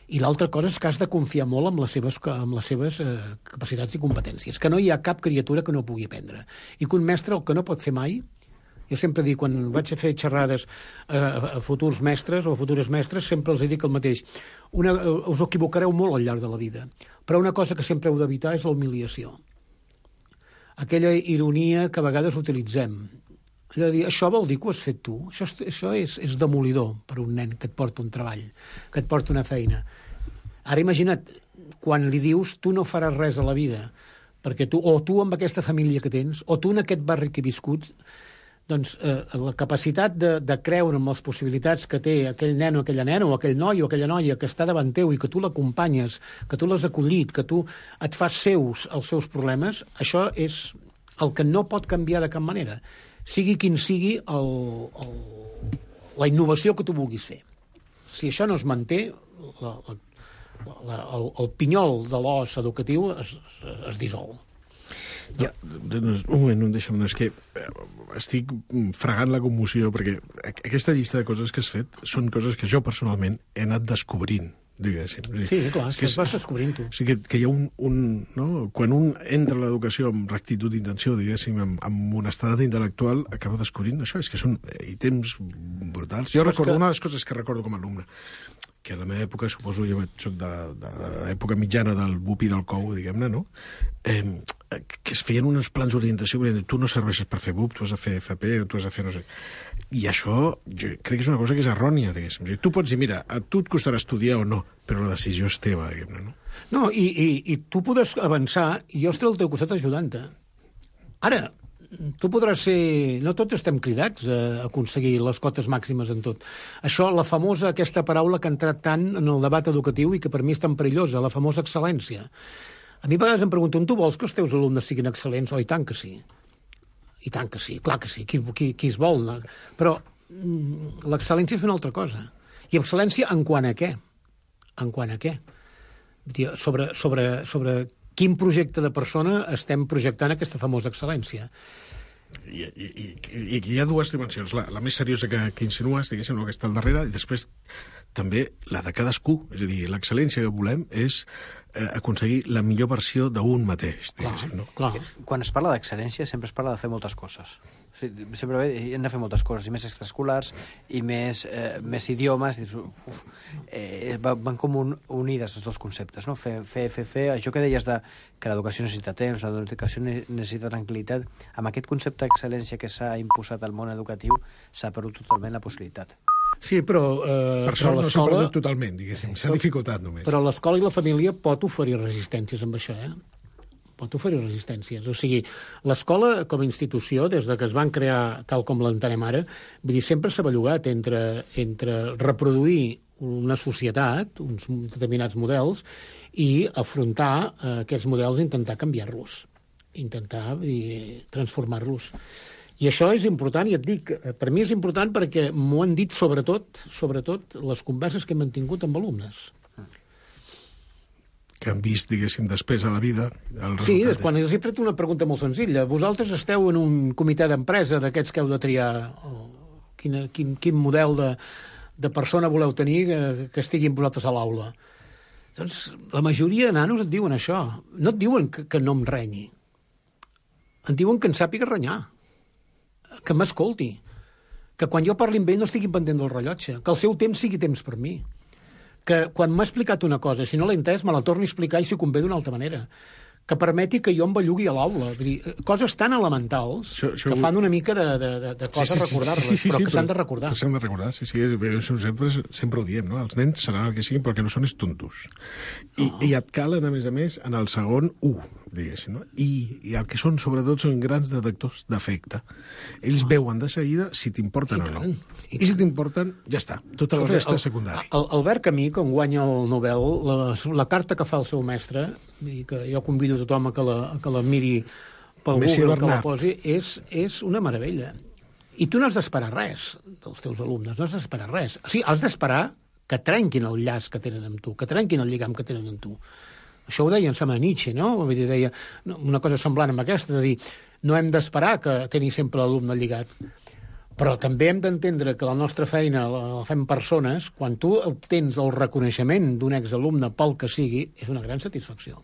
i l'altra cosa és que has de confiar molt en les seves, en les seves eh, capacitats i competències, que no hi ha cap criatura que no pugui aprendre, i que un mestre el que no pot fer mai, jo sempre dic, quan vaig a fer xerrades a, a futurs mestres o a futures mestres, sempre els dic el mateix, una, us equivocareu molt al llarg de la vida, però una cosa que sempre heu d'evitar és la humiliació. Aquella ironia que a vegades utilitzem. Allò de dir, això vol dir que ho has fet tu? Això, això és, és demolidor per un nen que et porta un treball, que et porta una feina. Ara imagina't, quan li dius tu no faràs res a la vida, perquè tu, o tu amb aquesta família que tens, o tu en aquest barri que he viscut, doncs eh, la capacitat de, de creure en les possibilitats que té aquell nen o aquella nena, o aquell noi o aquella noia que està davant teu i que tu l'acompanyes, que tu l'has acollit, que tu et fas seus els seus problemes, això és el que no pot canviar de cap manera. Sigui quin sigui el, el, la innovació que tu vulguis fer. Si això no es manté, la, la, la, el, el pinyol de l'os educatiu es, es, es dissol. Ja, un moment, no em deixa'm, no, és que estic fregant la commoció, perquè aquesta llista de coses que has fet són coses que jo personalment he anat descobrint, diguéssim. Sí, clar, és que es vas descobrint tu. O sigui, que, que hi ha un... un no? Quan un entra a l'educació amb rectitud d'intenció, diguéssim, amb, amb honestedat intel·lectual, acaba descobrint això, és que són ítems brutals. Jo recordo, que... una de les coses que recordo com a alumne, que a la meva època, suposo, jo soc de, de, de l'època mitjana del B U P i del C O U, diguem-ne, no? Eh, que es feien uns plans d'orientació, tu no serveixes per fer B U P, tu has de fer F P, tu has de fer no sé... I això, jo crec que és una cosa que és errònia, diguéssim. Tu pots dir, mira, a tu et costarà estudiar o no, però la decisió és teva, diguem-ne, no? No, i, i, i tu podràs avançar, i jo estaré al teu costat ajudant-te. Ara, tu podràs ser... No tots estem cridats a aconseguir les cotes màximes en tot. Això, la famosa, aquesta paraula que ha entrat tant en el debat educatiu i que per mi és tan perillosa, la famosa excel·lència. A mi a vegades em pregunten, tu vols que els teus alumnes siguin excel·lents? Oh, i tant que sí. I tant que sí, clar que sí. Qui, qui, qui es vol? No? Però mm, l'excel·lència és una altra cosa. I excel·lència en quant a què? En quant a què? Sobre, sobre, sobre quin projecte de persona estem projectant aquesta famosa excel·lència. I, i, i, i hi ha dues dimensions. La, la més seriosa que, que insinues, diguéssim, no, que està al darrere, i després també la de cadascú. És a dir, l'excel·lència que volem és eh, aconseguir la millor versió d'un mateix. Clar, no? clar. Quan es parla d'excel·lència sempre es parla de fer moltes coses. O sigui, sempre hem de fer moltes coses, i més extraescolars, i més, eh, més idiomes. I, uf, eh, van com un, unides els dos conceptes, no? Fer, fer, fer, fer. Això que deies de que l'educació necessita temps, l'educació necessita tranquil·litat, amb aquest concepte d'excel·lència que s'ha imposat al món educatiu s'ha perdut totalment la possibilitat. Sí, però... Eh, per sort no s'ha perdut totalment, diguéssim. S'ha dificultat només. Però l'escola i la família pot oferir resistències amb això, eh? Pot oferir resistències. O sigui, l'escola com a institució, des de que es van crear tal com l'entenem ara, vull dir, sempre s'ha bellugat entre, entre reproduir una societat, uns determinats models, i afrontar eh, aquests models i intentar canviar-los, intentar dir, transformar-los. I això és important, i et dic, per mi és important perquè m'ho han dit sobretot, sobretot les converses que hem mantingut amb alumnes. Que han vist, diguéssim, després a la vida el Sí, resultat. quan els he fet una pregunta molt senzilla. Vosaltres esteu en un comitè d'empresa d'aquests que heu de triar oh, quin, quin, quin model de, de persona voleu tenir que, que estigui amb vosaltres a l'aula. Doncs la majoria de nanos et diuen això. No et diuen que, que no em renyi. Et diuen que en sàpiga renyar, que m'escolti, que quan jo parli amb ell no estigui pendent del rellotge, que el seu temps sigui temps per mi, que quan m'ha explicat una cosa, si no l'he entès, me la torni a explicar i si convé d'una altra manera, que permeti que jo em bellugui a l'aula. Vull dir, coses tan elementals això, això... que fan una mica de, de, de, de cosa sí, sí, recordar-les, sí, sí, sí, però sí, que s'han de recordar. Però s'han de recordar, sí, sí, sempre, sempre ho diem, no? Els nens seran el que siguin, però que no són és tontos. I, oh. I et calen, a més a més, en el segon u, diguéssim, no? I, I el que són, sobretot, són grans detectors d'afecte. Ells oh. veuen de seguida si t'importen o no. I, I si t'importen, ja està. Tota la resta és secundària. El, Albert Camus, quan guanya el Nobel, la, la carta que fa el seu mestre, que jo convido a tothom a que la, a que la miri pel Messi Google, Bernat. que la posi, és, és una meravella. I tu no has d'esperar res dels teus alumnes, no has d'esperar res. O sigui, has d'esperar que trenquin el llaç que tenen amb tu, que trenquin el lligam que tenen amb tu. Això ho deia en Sama Nietzsche, no? Vull dir, deia una cosa semblant amb aquesta, de dir, no hem d'esperar que tenir sempre l'alumne lligat. Però també hem d'entendre que la nostra feina la fem persones, quan tu obtens el reconeixement d'un exalumne pel que sigui, és una gran satisfacció.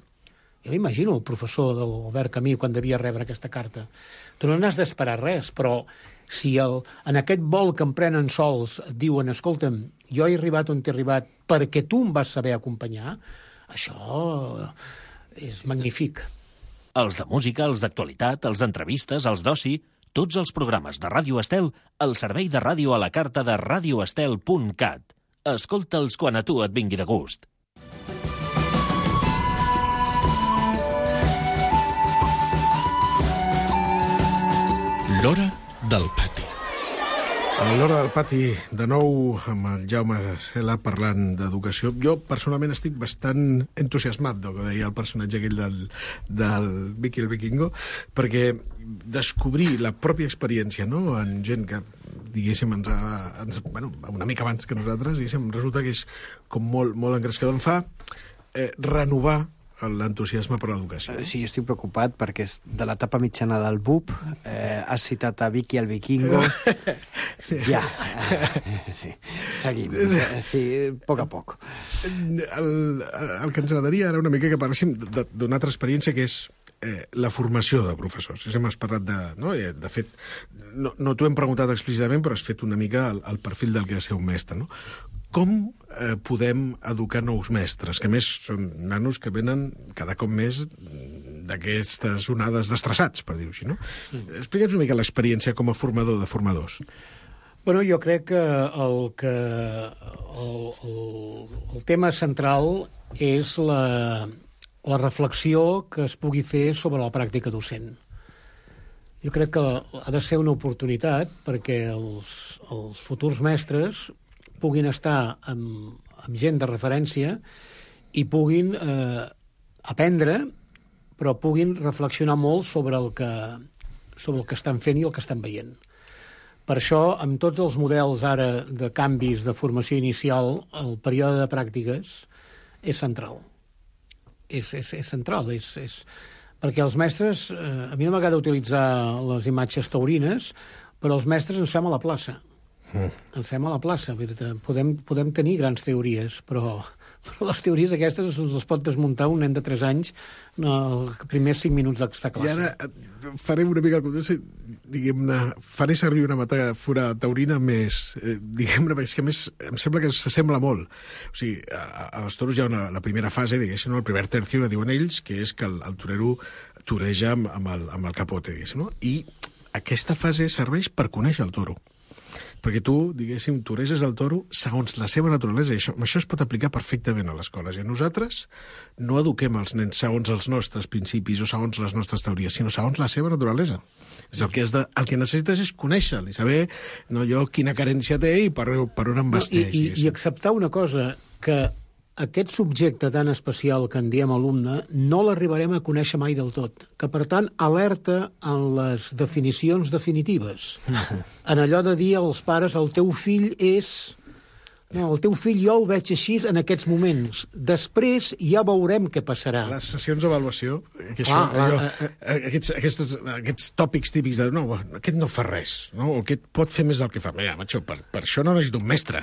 Jo m'imagino el professor de l'Albert Camus quan devia rebre aquesta carta. Tu no n'has d'esperar res, però si el, en aquest vol que em prenen sols et diuen, escolta'm, jo he arribat on t'he arribat perquè tu em vas saber acompanyar, això és magnífic. Els de música, els d'actualitat, els d'entrevistes, els d'oci, tots els programes de Ràdio Estel al servei de ràdio a la carta de radio estel punt cat. Escolta'ls quan a tu et vingui de gust. L'hora del pati. A l'hora del pati, de nou, amb el Jaume Cela parlant d'educació. Jo, personalment, estic bastant entusiasmat del que deia el personatge aquell del, del Vicky el Vikingo, perquè descobrir la pròpia experiència, no?, en gent que, diguéssim, ens ha, ens, bueno, una mica abans que nosaltres, diguéssim, resulta que és com molt, molt engrescador. Em fa eh, renovar l'entusiasme per l'educació. Sí, jo estic preocupat perquè és de l'etapa mitjana del B U P, eh, has citat a Vicky el Vikingo, sí. ja, eh, sí, seguim, sí, a poc a poc. El, el que ens agradaria ara una mica que parléssim d'una altra experiència que és eh, la formació de professors. Hem parlat de... No? De fet, no, no t'ho hem preguntat explícitament, però has fet una mica el, el perfil del que ha de ser un mestre, no? Com eh, podem educar nous mestres, que a més són nanos que venen cada cop més d'aquestes onades d'estressats, per dir-ho així, no? Mm. Explica'ns una mica l'experiència com a formador de formadors. Bueno, jo crec que el, que el, el, el tema central és la, la reflexió que es pugui fer sobre la pràctica docent. Jo crec que ha de ser una oportunitat perquè els, els futurs mestres puguin estar amb, amb gent de referència i puguin eh, aprendre, però puguin reflexionar molt sobre el, que, sobre el que estan fent i el que estan veient. Per això, amb tots els models ara de canvis de formació inicial, el període de pràctiques és central. És, és, és central, és, és... perquè els mestres, eh, a mi no m'agrada utilitzar les imatges taurines, però els mestres ens fem a la plaça. Mm. Ens fem a la plaça. Podem, podem tenir grans teories, però, però les teories aquestes les pot desmuntar un nen de tres anys en els primers cinc minuts d'estar a classe. I ara faré una mica, diguem-ne, faré servir una metàfora taurina més, eh, diguem-ne, perquè és que a més em sembla que s'assembla molt. O sigui, a, a les toros hi ha una, la primera fase, diguéssim, el primer tercio que diuen ells, que és que el, el torero toreja amb, amb, el, amb el capote, diguéssim, no? I aquesta fase serveix per conèixer el toro. Perquè tu, diguéssim, toreges el toro segons la seva naturalesa, i això, això es pot aplicar perfectament a les escoles. I nosaltres no eduquem els nens segons els nostres principis o segons les nostres teories, sinó segons la seva naturalesa. És el que, has de, el que necessites és conèixer-lo i saber no, jo quina carència té i per, per on em vesteix. I, i, I acceptar una cosa, que aquest subjecte tan especial que en diem alumne no l'arribarem a conèixer mai del tot. Que, per tant, alerta en les definicions definitives. En allò de dir als pares el teu fill és... No, el teu fill jo el veig així en aquests moments. Després ja veurem què passarà. Les sessions d'avaluació, que això, ah, allò, ah, ah, aquests, aquests, aquests tòpics típics de no, aquest no fa res, no? O aquest pot fer més del que fa. Mira, macho, per, per això no necessito un mestre.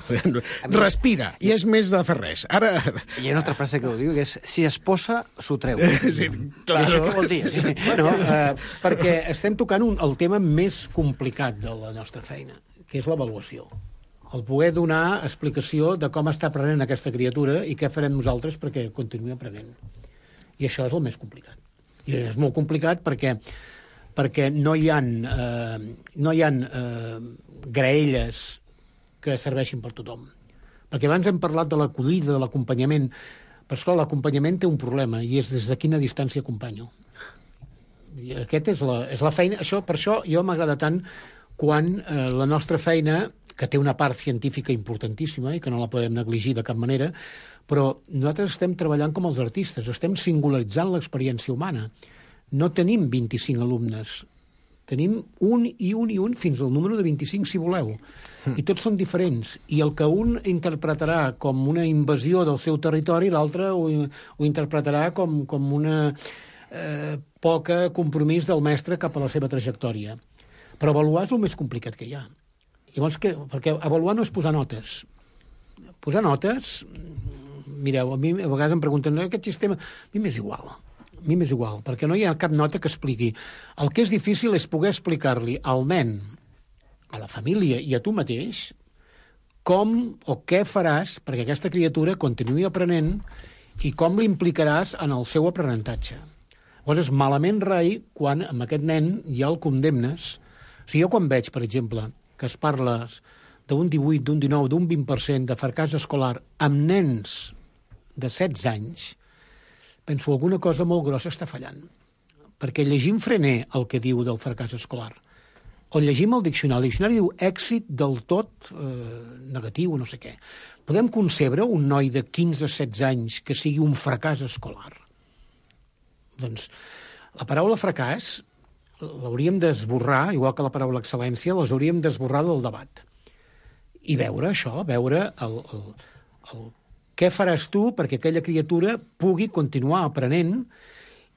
Respira, i és més de fer res. Ara... Hi ha una altra frase que ho diu, que és si es posa, s'ho treu. Sí, clar. I això què vol dir? Sí. Bueno, eh, perquè estem tocant un, el tema més complicat de la nostra feina, que és l'avaluació. El poder donar explicació de com està aprenent aquesta criatura i què farem nosaltres perquè continuï aprenent. I això és el més complicat. I és molt complicat perquè, perquè no hi ha, eh, no hi ha eh, graelles que serveixin per tothom. Perquè abans hem parlat de l'acollida, de l'acompanyament, però esclar, l'acompanyament té un problema i és des de quina distància acompanyo. I aquest és la, és la feina. Això, per això jo m'agrada tant quan eh, la nostra feina, que té una part científica importantíssima i que no la podem negligir de cap manera, però nosaltres estem treballant com els artistes, estem singularitzant l'experiència humana. No tenim vint-i-cinc alumnes, tenim un i un i un fins al número de vint-i-cinc, si voleu. I tots són diferents. I el que un interpretarà com una invasió del seu territori, l'altre ho, ho interpretarà com, com una eh, poca compromís del mestre cap a la seva trajectòria. Però avaluar és el més complicat que hi ha. Llavors, que, perquè avaluar no és posar notes. Posar notes, mireu, a mi a vegades em pregunten, aquest sistema, a mi m'és igual, a mi m'és igual, perquè no hi ha cap nota que expliqui. El que és difícil és poder explicar-li al nen, a la família i a tu mateix, com o què faràs perquè aquesta criatura continuï aprenent i com l'implicaràs en el seu aprenentatge. Llavors, és malament rai quan amb aquest nen ja el condemnes. O sigui, jo quan veig, per exemple, que es parla d'un divuit, d'un dinou, d'un vint per cent de fracàs escolar amb nens de setze anys, penso alguna cosa molt grossa està fallant. Perquè llegim Frené el que diu del fracàs escolar, o llegim el diccionari. El diccionari diu èxit del tot eh, negatiu, no sé què. Podem concebre un noi de quinze a setze anys que sigui un fracàs escolar? Doncs la paraula fracàs l'hauríem d'esborrar, igual que la paraula excel·lència, les hauríem d'esborrar del debat. I veure això, veure el, el, el què faràs tu perquè aquella criatura pugui continuar aprenent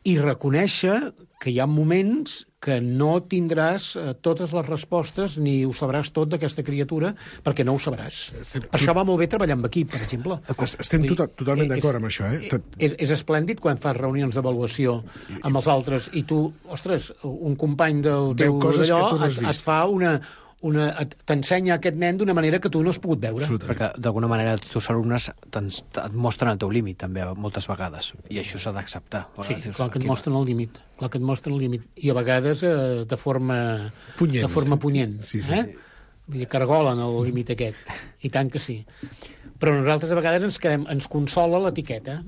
i reconèixer que hi ha moments que no tindràs eh, totes les respostes ni ho sabràs tot d'aquesta criatura perquè no ho sabràs. Estem... Per això va molt bé treballar amb equip, per exemple. Estem tot, totalment d'acord amb això. Eh? Tot... És, és esplèndid quan fas reunions d'avaluació amb els altres i tu, ostres, un company del teu d'allò no et, et fa una... Una, t'ensenya aquest nen d'una manera que tu no has pogut veure. Perquè d'alguna manera els teus alumnes et mostren el teu límit també moltes vegades i això s'ha d'acceptar. Sí, dius, clar que et mostren el límit, clar que et mostren el límit i a vegades eh, de forma punyent, de forma punyent sí, sí, eh? sí. Vull dir, cargolen el límit aquest i tant que sí, però nosaltres a vegades ens, quedem, ens consola l'etiqueta.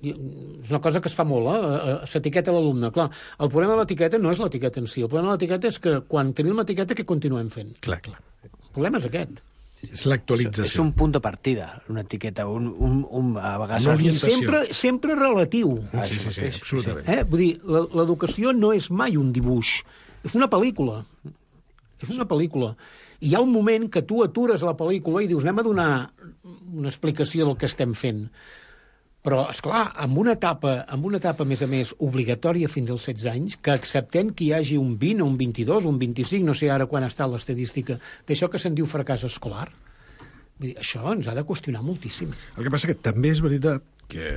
És una cosa que es fa molt, eh? S'etiqueta l'alumne. Clar, el problema de l'etiqueta no és l'etiqueta en si, el problema de l'etiqueta és que quan tenim l'etiqueta què continuem fent? Clar, clar. El problema és aquest. És l'actualització. És un punt de partida, una etiqueta, un, un, un a vegades... Sempre, sempre relatiu. Ah, sí, sí, sí, absolutament. Eh? Vull dir, l'educació no és mai un dibuix, és una pel·lícula. És una pel·lícula. I hi ha un moment que tu atures la pel·lícula i dius, anem a donar una explicació del que estem fent. Però, esclar, amb una etapa, amb una etapa, a més a més, obligatòria fins als setze anys, que acceptem que hi hagi un vint, un vint-i-dos, un vint-i-cinc, no sé ara quan està l'estadística, d'això que se'n diu fracàs escolar, vull dir, això ens ha de qüestionar moltíssim. El que passa que també és veritat que,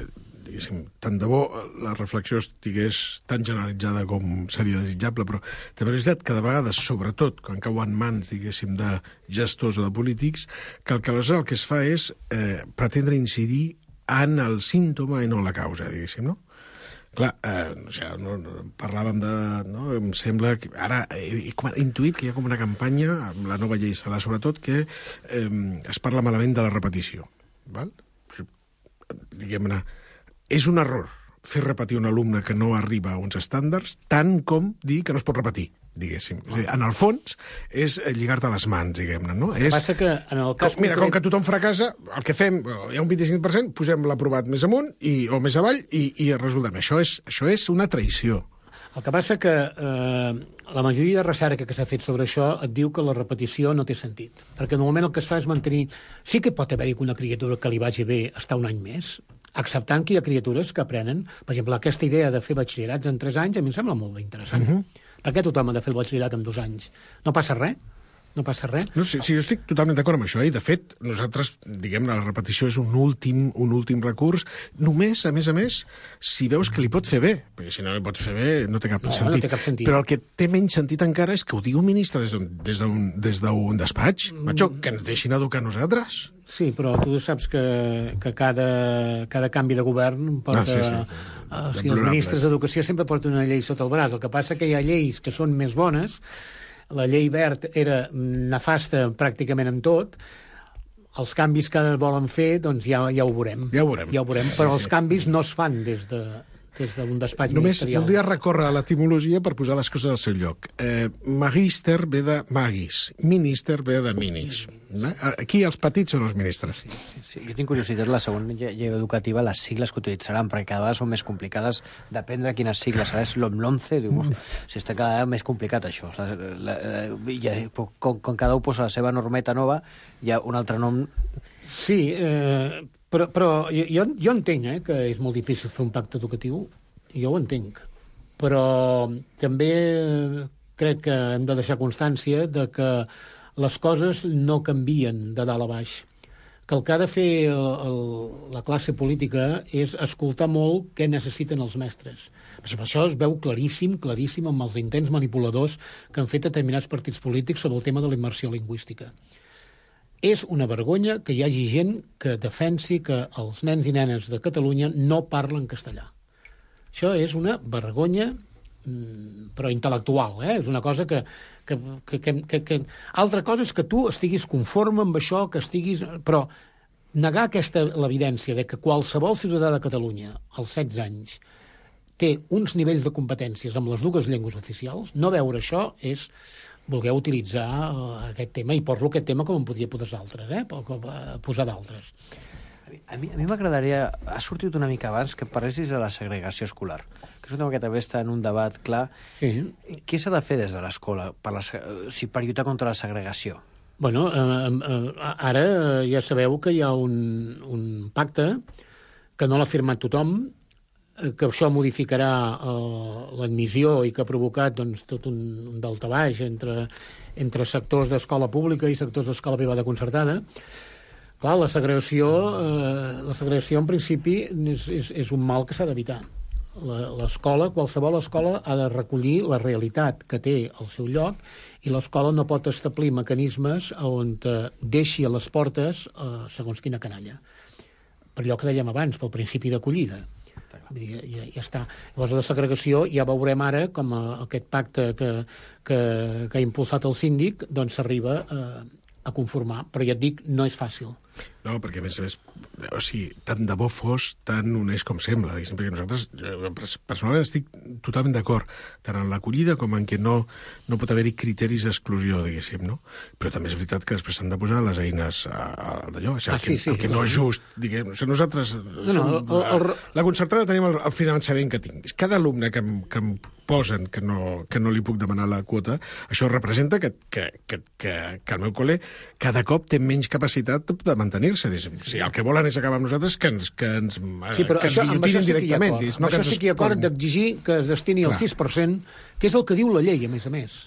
diguéssim, tant de bo la reflexió estigués tan generalitzada com seria desitjable, però també és veritat que de vegades, sobretot quan cau en mans, diguéssim, de gestors o de polítics, que el que aleshores el que es fa és eh, pretendre incidir en el símptoma i no en la causa, diguéssim, no? Clar, eh, o sigui, no, no, parlàvem de... No? Em sembla que ara he, he intuït que hi ha com una campanya, amb la nova llei Celaá sobretot, que eh, es parla malament de la repetició. Val? Diguem-ne, és un error fer repetir un alumne que no arriba a uns estàndards, tant com dir que no es pot repetir, diguéssim. És a dir, en el fons, és lligar-te les mans, diguem-ne, no? El que passa que, en el cas com, mira, concret... com que tothom fracassa, el que fem, hi ha un vint-i-cinc per cent, posem l'aprovat més amunt i, o més avall i, i resultem. Això és, això és una traïció. El que passa que eh, la majoria de recerca que s'ha fet sobre això et diu que la repetició no té sentit. Perquè normalment el que es fa és mantenir... Sí que pot haver-hi una criatura que li vagi bé estar un any més, acceptant que hi ha criatures que aprenen... Per exemple, aquesta idea de fer batxillerats en tres anys a mi em sembla molt interessant. Uh -huh. Per què tothom ha de fer el batxillerat en dos anys? No passa res? No passa res? No, sí, sí, jo estic totalment d'acord amb això. Eh? De fet, nosaltres, diguem-ne, la repetició és un últim, un últim recurs. Només, a més a més, si veus que li pot fer bé. Perquè si no li pots fer bé, no té cap, no, sentit. No té cap sentit. Però el que té menys sentit encara és que ho digui un ministre des d'un des d'un des d'un despatx. Mm. Macho, que ens deixin educar nosaltres. Sí, però tu saps que, que cada, cada canvi de govern porta... Ah, sí, sí, sí. Uh, o sigui, els ministres d'Educació sempre porten una llei sota el braç. El que passa que hi ha lleis que són més bones. La llei Wert era nefasta pràcticament en tot. Els canvis que volen fer, doncs ja, ja ho veurem. Ja ho veurem. Ja ho veurem, però els canvis no es fan des de... des d'un despatx Només ministerial. Només voldria recórrer a l'etimologia per posar les coses al seu lloc. Eh, magister ve de magis, minister ve de minis. Mm. Aquí els petits són els ministres. Sí, sí, sí. Jo tinc curiositat, la segona llei educativa, les sigles que utilitzaran, perquè cada vegada són més complicades, dependre quines sigles serà. És l'OMLONCE, diu, mm. si està cada vegada més complicat això. La, la, la, ja, com, com cada un posa la seva normeta nova, hi ha un altre nom... Sí, eh, però, però jo, jo entenc eh, que és molt difícil fer un pacte educatiu, jo ho entenc, però també crec que hem de deixar constància de que les coses no canvien de dalt a baix, que el que ha de fer el, el, la classe política és escoltar molt què necessiten els mestres. Per això es veu claríssim, claríssim amb els intents manipuladors que han fet determinats partits polítics sobre el tema de la immersió lingüística. És una vergonya que hi hagi gent que defensi que els nens i nenes de Catalunya no parlen castellà. Això és una vergonya, però intel·lectual, eh? És una cosa que, que, que, que, que, que... Altra cosa és que tu estiguis conforme amb això, que estiguis... Però negar aquesta l'evidència de que qualsevol ciutadà de Catalunya, als setze anys, té uns nivells de competències amb les dues llengües oficials, no veure això és... Volgueu utilitzar uh, aquest tema, i porlo aquest tema com en podria posar d'altres, eh? posar d'altres. A mi, a mi m'agradaria... Ha sortit una mica abans que parlessis de la segregació escolar, que és un tema que també està en un debat clar. Sí. Què s'ha de fer des de l'escola per, la, o sigui, per lluitar contra la segregació? Bueno, eh, eh, ara ja sabeu que hi ha un, un pacte que no l'ha firmat tothom, que això modificarà eh, l'admissió i que ha provocat doncs, tot un, un daltabaix entre, entre sectors d'escola pública i sectors d'escola privada concertada. Clar, la segregació, eh, la segregació en principi és, és, és un mal que s'ha d'evitar. L'escola, qualsevol escola, ha de recollir la realitat que té al seu lloc i l'escola no pot establir mecanismes on deixi a les portes eh, segons quina canalla. Per allò que dèiem abans, pel principi d'acollida. Ja, ja, ja està. Llavors, la segregació ja veurem ara com a, aquest pacte que, que, que ha impulsat el síndic doncs s'arriba a, a conformar. Però ja et dic, no és fàcil. No, perquè a més a més, o sigui, tant de bo fos tan honest com sembla, diguéssim, perquè nosaltres, jo, personalment estic totalment d'acord, tant en l'acollida com en que no, no pot haver-hi criteris d'exclusió, diguéssim, no? Però també és veritat que després s'han de posar les eines a, a, d'allò, o sigui, ah, sí, el, que, sí, el que no és just, diguem, o sigui, nosaltres, no, no, som, el, el, la concertada tenim el, el finançament que tinguis. Cada alumne que, que, posen que no, que no li puc demanar la quota, això representa que, que, que, que, que el meu col·le cada cop té menys capacitat de mantenir-se. Si el que volen és acabar amb nosaltres, que ens, que ens, sí, però que això, ens guillotinin sí directament. Amb No això sí que hi ha acord d'exigir que es destini el Clar. sis per cent, que és el que diu la llei, a més a més.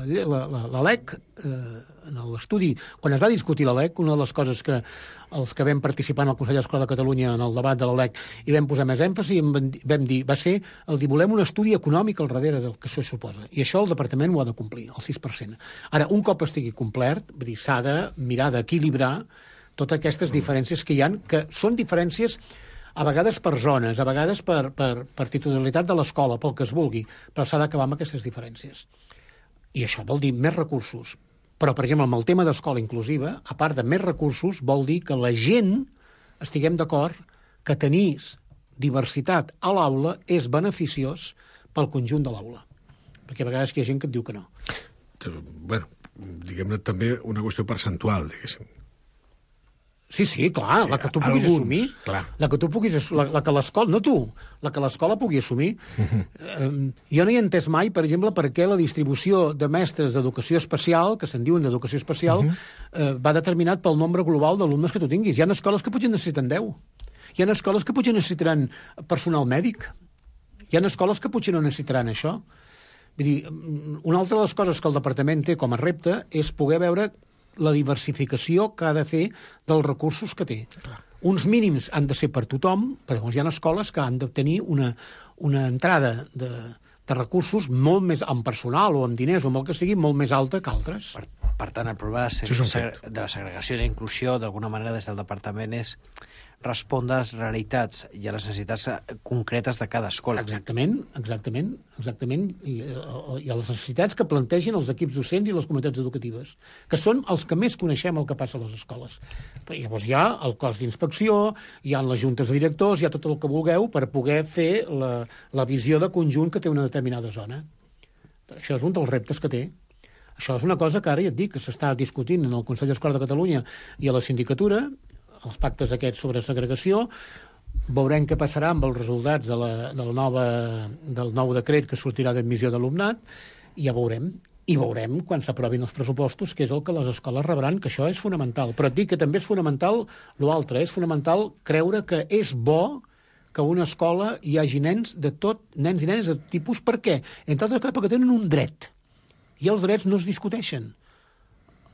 La, la, la L E C, eh, en l'estudi, quan es va discutir la L E C, una de les coses que els que vam participar en el Consell d'Escola de Catalunya en el debat de la L E C i vam posar més èmfasi, vam dir, va ser el dir, volem un estudi econòmic al darrere del que això suposa. I això el departament ho ha de complir, el sis per cent. Ara, un cop estigui complert, s'ha de mirar d'equilibrar totes aquestes diferències que hi ha, que són diferències a vegades per zones, a vegades per, per, per titularitat de l'escola, pel que es vulgui, però s'ha d'acabar amb aquestes diferències. I això vol dir més recursos. Però, per exemple, amb el tema d'escola inclusiva, a part de més recursos, vol dir que la gent estiguem d'acord que tenir diversitat a l'aula és beneficiós pel conjunt de l'aula. Perquè a vegades hi ha gent que et diu que no. Bueno, diguem-ne també una qüestió percentual, diguéssim. Sí, sí, clar, sí, la que tu puguis alguns, assumir, clar. la que tu puguis, la, la que l'escola, no tu, la que l'escola pugui assumir. Uh-huh. eh, jo no hi he entès mai, per exemple, per què la distribució de mestres d'educació especial, que se'n diuen d'educació especial, uh-huh. eh, va determinat pel nombre global d'alumnes que tu tinguis. Hi ha escoles que potser necessiten deu. Hi ha escoles que potser necessitaran personal mèdic. Hi ha escoles que potser no necessitaran això. Vull dir, una altra de les coses que el departament té com a repte és poder veure la diversificació que ha de fer dels recursos que té. Clar. Uns mínims han de ser per tothom, però llavors hi ha escoles que han de tenir una, una entrada de, de recursos molt més, amb personal o amb diners o amb el que sigui, molt més alta que altres. Per, per tant, el problema de, seg de la segregació i la inclusió, d'alguna manera, des del departament és respondre a les realitats i a les necessitats concretes de cada escola. Exactament, exactament, exactament, i, i a les necessitats que plantegen els equips docents i les comunitats educatives, que són els que més coneixem el que passa a les escoles. Però llavors hi ha el cos d'inspecció, hi ha les juntes de directors, hi ha tot el que vulgueu per poder fer la, la visió de conjunt que té una determinada zona. Això és un dels reptes que té. Això és una cosa que ara ja et dic, que s'està discutint en el Consell d'Escola de Catalunya i a la sindicatura, els pactes aquests sobre segregació, veurem què passarà amb els resultats de la, de la nova, del nou decret que sortirà d'admissió d'alumnat, i ja veurem. I veurem, quan s'aprovin els pressupostos, què és el que les escoles rebran, que això és fonamental. Però et dic que també és fonamental l'altre, és fonamental creure que és bo que a una escola hi hagi nens de tot, nens i nenes de tot tipus. Per què? Entre altres coses, perquè tenen un dret. I els drets no es discuteixen.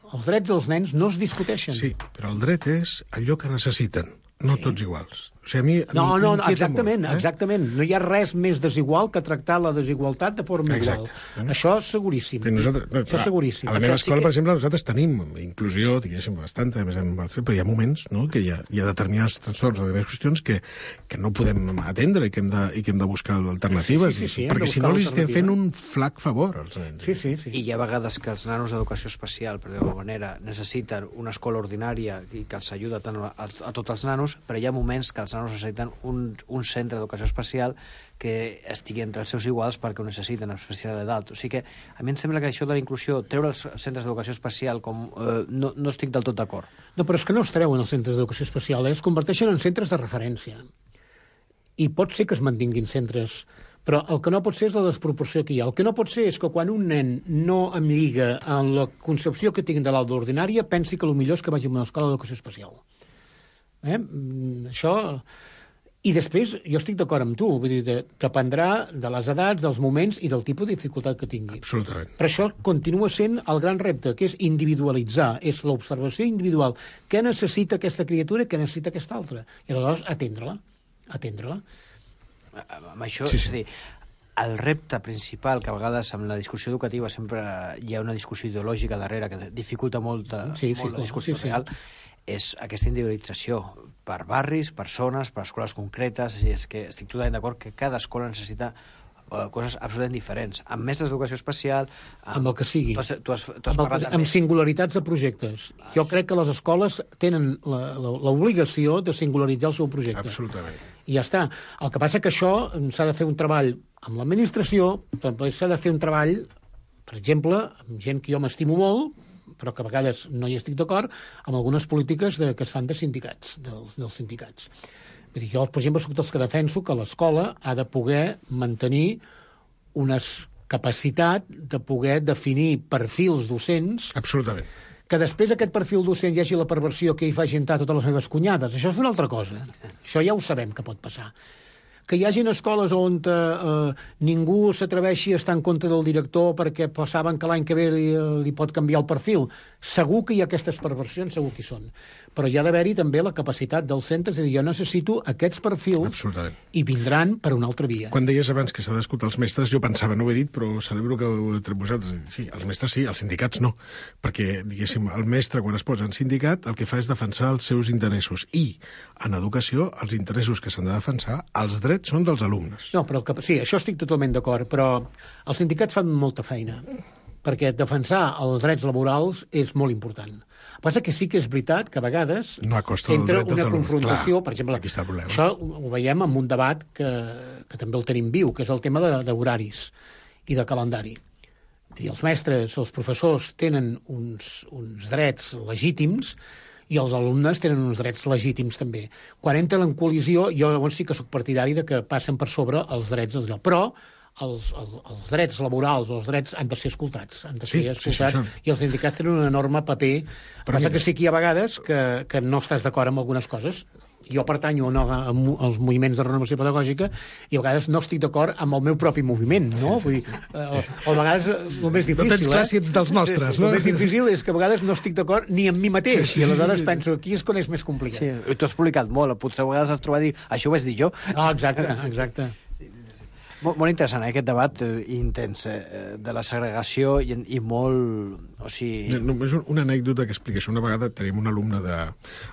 Els drets dels nens no es discuteixen. Sí, però el dret és allò que necessiten, no sí. Tots iguals. O sigui, a mi, no, no, no, exactament, molt, eh? exactament. No hi ha res més desigual que tractar la desigualtat de forma Exacte. igual. Eh? Això és seguríssim. Nosaltres, no, Això és seguríssim. A la meva escola, sí que... per exemple, nosaltres tenim inclusió, diguéssim, bastanta, a més, però hi ha moments no, que hi ha, hi ha determinats trastorns o diverses qüestions que, que no podem atendre i que hem de, i que hem de buscar alternatives. Sí, sí, sí, perquè si no li estem fent un flac favor als nens. Sí, sí, sí. I hi ha vegades que els nanos d'educació especial, per dir-ho manera, necessiten una escola ordinària i que els ajuda tant a, a, a tots els nanos, però hi ha moments que els nanos necessiten un Un, un centre d'educació especial que estigui entre els seus iguals perquè ho necessiten, especial de dalt. O sigui que a mi em sembla que això de la inclusió, treure els centres d'educació especial, com eh, no, no estic del tot d'acord. No, però és que no es treuen els centres d'educació especial, eh? Es converteixen en centres de referència. I pot ser que es mantinguin centres, però el que no pot ser és la desproporció que hi ha. El que no pot ser és que quan un nen no em lliga en la concepció que tinc de l'aula ordinària pensi que el millor és que vagi a una escola d'educació especial. Eh? Això... I després, jo estic d'acord amb tu, vull dir, dependrà de les edats, dels moments i del tipus de dificultat que tingui. Absolutament. Però això continua sent el gran repte, que és individualitzar, és l'observació individual. Què necessita aquesta criatura i què necessita aquesta altra? I aleshores atendre-la, atendre-la. Amb això, sí, sí. és a dir, el repte principal, que a vegades amb la discussió educativa sempre hi ha una discussió ideològica darrere que dificulta molt, sí, sí, molt la discussió sí, sí. real, és aquesta individualització per barris, per zones, per escoles concretes. És, dir, és que estic totalment d'acord que cada escola necessita uh, coses absolutament diferents. Amb mestres d'educació especial... Amb, amb el que sigui. Tu has, tu has, tu has amb, el, amb singularitats de projectes. Ah, jo crec que les escoles tenen l'obligació de singularitzar el seu projecte. Absolutament. I ja està. El que passa que això s'ha de fer un treball amb l'administració, també s'ha de fer un treball, per exemple, amb gent que jo m'estimo molt, però que a vegades no hi estic d'acord, amb algunes polítiques de, que es fan de sindicats, dels, dels sindicats. Vull dir, jo, per exemple, soc dels que defenso que l'escola ha de poder mantenir una capacitat de poder definir perfils docents. Absolutament. Que després aquest perfil docent hi hagi la perversió que hi faci entrar totes les meves cunyades. Això és una altra cosa. Això ja ho sabem que pot passar. Que hi hagin escoles on eh, ningú s'atreveixi a estar en contra del director perquè saben que l'any que ve li, li pot canviar el perfil. Segur que hi ha aquestes perversions, segur que hi són. Però hi ha d'haver-hi també la capacitat dels centres de dir jo necessito aquests perfils i vindran per una altra via. Quan deies abans que s'ha d'escoltar els mestres, jo pensava, no ho he dit, però celebro que ho heu tret vosaltres. Sí, els mestres sí, els sindicats no. Perquè, diguéssim, el mestre, quan es posa en sindicat, el que fa és defensar els seus interessos. I, en educació, els interessos que s'han de defensar, els drets són dels alumnes. No, però el que, sí, això estic totalment d'acord, però els sindicats fan molta feina, perquè defensar els drets laborals és molt important. El que passa que sí que és veritat que a vegades no entra una confrontació, per exemple, aquí està el problema. Això ho veiem en un debat que, que també el tenim viu, que és el tema d'horaris i de calendari. I els mestres, els professors tenen uns, uns drets legítims i els alumnes tenen uns drets legítims també. Quan entren en col·lisió, jo llavors sí que sóc partidari de que passen per sobre els drets d'allò. Però Els, els, els drets laborals o els drets han de ser escoltats, han de ser sí, escoltats, sí, sí, i els sindicats tenen un enorme paper. Però passa que sí que hi ha vegades que, que no estàs d'acord amb algunes coses. Jo pertanyo no, als moviments de renovació pedagògica i a vegades no estic d'acord amb el meu propi moviment, no? Vull dir, eh, o a vegades el més difícil... No tens clar si ets dels nostres, sí, sí, no? El més difícil és que a vegades no estic d'acord ni amb mi mateix, sí, sí, i aleshores sí, sí. penso, aquí és quan és més complicat. Sí, tu has publicat molt, potser a vegades has trobat a dir, això ho vaig dir jo. Ah, exacte, exacte. Molt, molt interessant, eh, aquest debat eh, intens eh, de la segregació i, i molt... O sigui... Només una anècdota que explica això. Una vegada tenim un alumne de,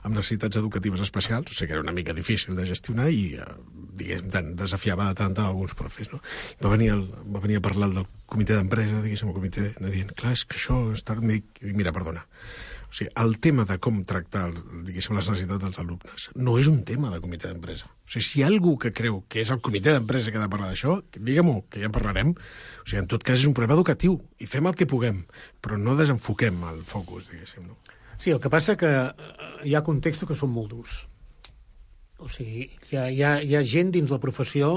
amb necessitats educatives especials, o sigui que era una mica difícil de gestionar i, eh, diguéssim, tant, desafiava de tant en alguns profes, no? Va venir, el, va venir a parlar del comitè d'empresa, diguéssim, el comitè, dient, clar, és que això està... Mira, perdona, o sigui, el tema de com tractar, diguéssim, les necessitats dels alumnes no és un tema de comitè d'empresa. O sigui, si hi ha algú que creu que és el comitè d'empresa que ha de parlar d'això, digue-m'ho, que ja en parlarem. O sigui, en tot cas és un problema educatiu i fem el que puguem, però no desenfoquem el focus, diguéssim, no? Sí, el que passa que hi ha contextos que són molt durs. O sigui, hi ha, hi ha, hi ha gent dins la professió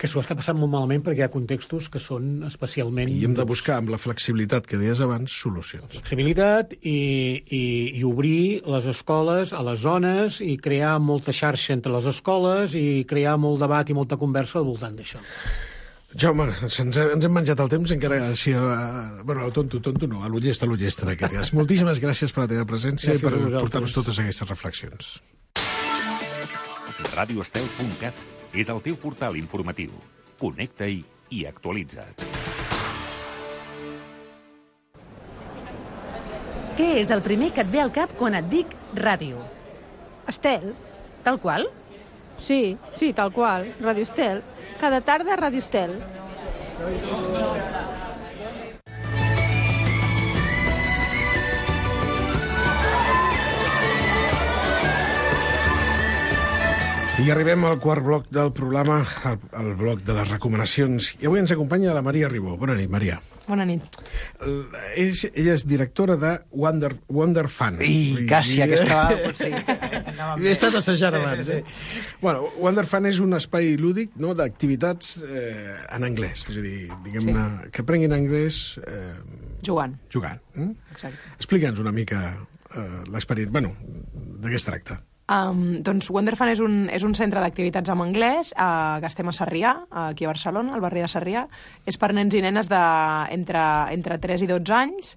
que s'ho està passant molt malament perquè hi ha contextos que són especialment... I hem de buscar, amb la flexibilitat que deies abans, solucions. Flexibilitat i, i, i obrir les escoles a les zones i crear molta xarxa entre les escoles i crear molt debat i molta conversa al voltant d'això. Jaume, ens, ens hem menjat el temps encara si, uh, bueno, el tonto, tonto no, a l'ullesta, a l'ullesta en aquest cas. Moltíssimes gràcies per la teva presència gràcies i per portar-nos totes aquestes reflexions. radio estel punt cat és el teu portal informatiu. Connecta-hi i actualitza't. Què és el primer que et ve al cap quan et dic ràdio? Estel. Tal qual? Sí, sí, tal qual. Ràdio Estel. Cada tarda Ràdio Estel. I arribem al quart bloc del programa, al, al bloc de les recomanacions. I avui ens acompanya la Maria Ribó. Bona nit, Maria. Bona nit. Ell, ella és directora de Wonder, Wonder Fun. I quasi, I, aquesta va... Sí. He estat assajant sí, abans. Sí, sí. Eh? Bueno, Wonder Fun és un espai lúdic, no?, d'activitats eh, en anglès. És a dir, diguem-ne, sí. que aprenguin anglès... Eh, jugant. Jugant. Eh? Exacte. Explica'ns una mica eh, l'experiència. Bueno, de què es tracta? Um, doncs Wonder Fun és un, és un centre d'activitats en anglès uh, que estem a Sarrià, aquí a Barcelona, al barri de Sarrià. És per nens i nenes de, entre, entre tres i dotze anys,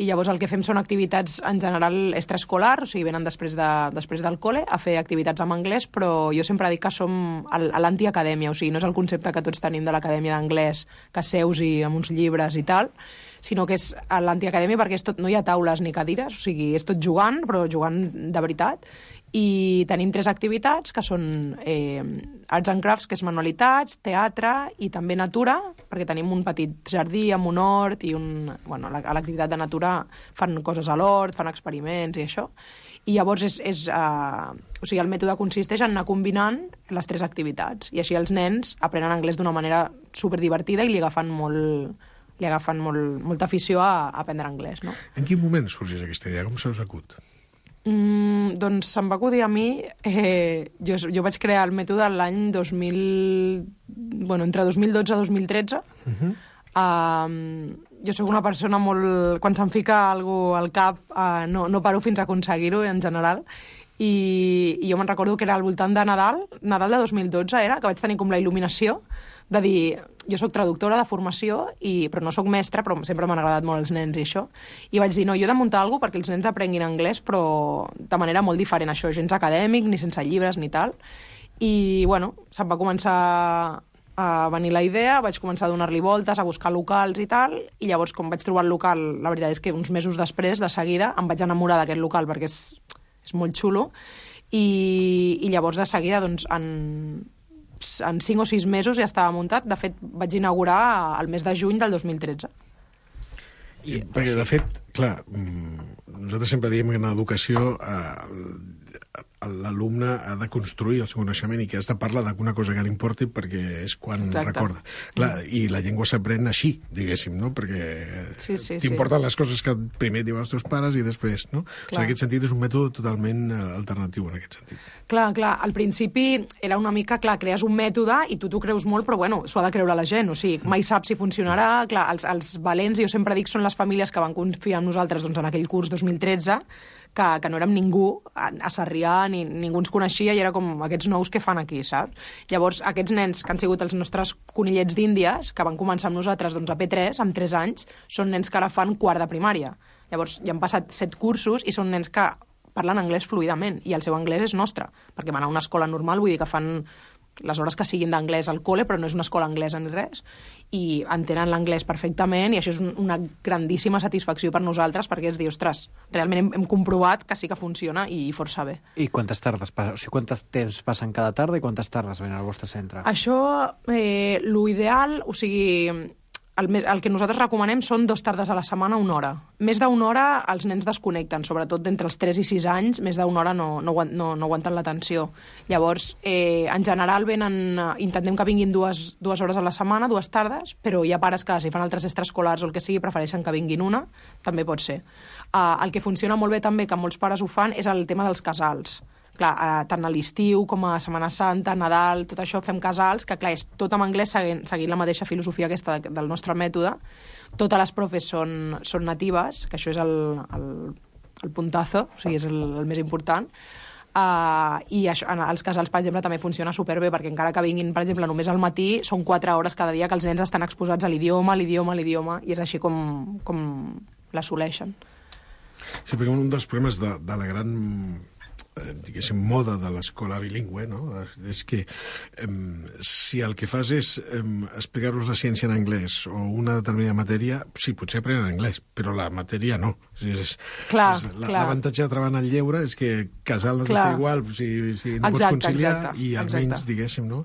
i llavors el que fem són activitats en general extraescolar, o sigui, venen després, de, després del col·le a fer activitats en anglès, però jo sempre dic que som a l'antiacadèmia, o sigui, no és el concepte que tots tenim de l'acadèmia d'anglès, que seus i amb uns llibres i tal, sinó que és a l'antiacadèmia perquè és tot, no hi ha taules ni cadires, o sigui, és tot jugant, però jugant de veritat. I tenim tres activitats, que són eh, Arts and Crafts, que és manualitats, teatre i també natura, perquè tenim un petit jardí amb un hort i un... Bueno, a l'activitat de natura fan coses a l'hort, fan experiments i això. I llavors és... és uh, o sigui, el mètode consisteix en anar combinant les tres activitats. I així els nens aprenen anglès d'una manera superdivertida i li agafen molt... li agafen molt, molta afició a, a aprendre anglès, no? En quin moment sorgeix aquesta idea? Com se us acut? Mm, doncs se'm va acudir a mi, eh, jo, jo vaig crear el mètode l'any dos mil... Bueno, entre dos mil dotze i dos mil tretze, Uh-huh. Uh, jo sóc una persona molt... Quan se'm fica algú al cap, uh, no, no paro fins a aconseguir-ho, en general. I, i jo me'n recordo que era al voltant de Nadal, Nadal de dos mil dotze era, que vaig tenir com la il·luminació de dir, jo sóc traductora de formació, i, però no sóc mestra, però sempre m'han agradat molt els nens i això, i vaig dir, no, jo he de muntar alguna cosa perquè els nens aprenguin anglès, però de manera molt diferent, això, gens acadèmic, ni sense llibres, ni tal. I, bueno, se'm va començar a venir la idea, vaig començar a donar-li voltes, a buscar locals i tal, i llavors, com vaig trobar el local, la veritat és que uns mesos després, de seguida, em vaig enamorar d'aquest local, perquè és, és molt xulo, i, i llavors, de seguida, doncs, en, en cinc o sis mesos ja estava muntat. De fet, vaig inaugurar el mes de juny del dos mil tretze. I, perquè, de fet, clar, nosaltres sempre diem que en l'educació eh, l'alumne ha de construir el seu coneixement i que has de parlar d'alguna cosa que li importi perquè és quan Exacte. recorda. Clar, i la llengua s'aprèn així, diguéssim, no? Perquè sí, sí, t'importen sí. les coses que primer diuen els teus pares i després, no? O sigui, en aquest sentit és un mètode totalment alternatiu, en aquest sentit. Clar, clar, al principi era una mica, clar, crees un mètode i tu t'ho creus molt, però bueno, s'ho ha de creure la gent, o sigui, mai saps si funcionarà. Clar, els, els valents, jo sempre dic, són les famílies que van confiar en nosaltres doncs, en aquell curs dos mil tretze, que, que no érem ningú a, a Sarrià, ni ningú ens coneixia, i era com aquests nous que fan aquí, saps? Llavors, aquests nens que han sigut els nostres conillets d'Índies, que van començar amb nosaltres doncs, a P tres, amb tres anys, són nens que ara fan quart de primària. Llavors, ja han passat set cursos i són nens que parlen anglès fluidament, i el seu anglès és nostre, perquè van a una escola normal, vull dir que fan les hores que siguin d'anglès al col·le, però no és una escola anglesa ni res, i entenen l'anglès perfectament, i això és una grandíssima satisfacció per nosaltres, perquè és dir, ostres, realment hem, hem comprovat que sí que funciona i força bé. I quantes tardes passen? O sigui, quantes temps passen cada tarda i quantes tardes venen al vostre centre? Això, eh, l'ideal, o sigui, el, el que nosaltres recomanem són dues tardes a la setmana, una hora. Més d'una hora els nens desconnecten, sobretot d'entre els tres i sis anys, més d'una hora no, no, no, no aguanten l'atenció. Llavors, eh, en general, venen, intentem que vinguin dues, dues hores a la setmana, dues tardes, però hi ha pares que, si fan altres extraescolars o el que sigui, prefereixen que vinguin una, també pot ser. Uh, el que funciona molt bé també, que molts pares ho fan, és el tema dels casals. Clar, eh, tant a l'estiu com a Setmana Santa, Nadal, tot això fem casals, que clar, és tot en anglès seguint, seguint la mateixa filosofia aquesta del nostre mètode. Totes les profes són, són natives, que això és el, el, el puntazo, o sigui, és el, el més important. Uh, I això, en els casals, per exemple, també funciona superbé, perquè encara que vinguin, per exemple, només al matí, són quatre hores cada dia que els nens estan exposats a l'idioma, l'idioma, l'idioma, i és així com, com l'assoleixen. Sí, perquè un dels problemes de, de la gran eh, diguéssim, moda de l'escola bilingüe, no? És que eh, si el que fas és eh, explicar-los la ciència en anglès o una determinada matèria, sí, potser aprenen anglès, però la matèria no. O sigui, és, clar, és, clar. L'avantatge de treballar en el lleure és que casal has de fer igual, si, si no exacte, pots conciliar, exacte, i almenys, diguéssim, no?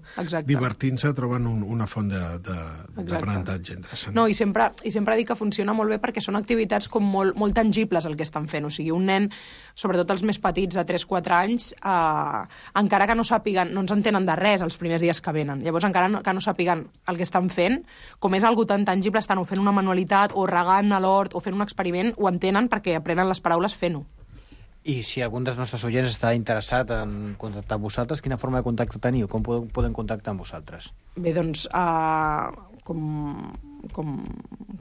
Divertint-se troben un, una font d'aprenentatge interessant. No, i sempre, i sempre dic que funciona molt bé perquè són activitats com molt, molt tangibles el que estan fent. O sigui, un nen, sobretot els més petits, de tres o quatre anys, eh, encara que no sàpiguen, no ens entenen de res els primers dies que venen. Llavors, encara no, que no sàpiguen el que estan fent, com és algo tan tangible, estan o fent una manualitat, o regant a l'hort, o fent un experiment, ho entenen perquè aprenen les paraules fent-ho. I si algun dels nostres oients està interessat en contactar amb vosaltres, quina forma de contacte teniu? Com poden, poden contactar amb vosaltres? Bé, doncs, uh, com, com,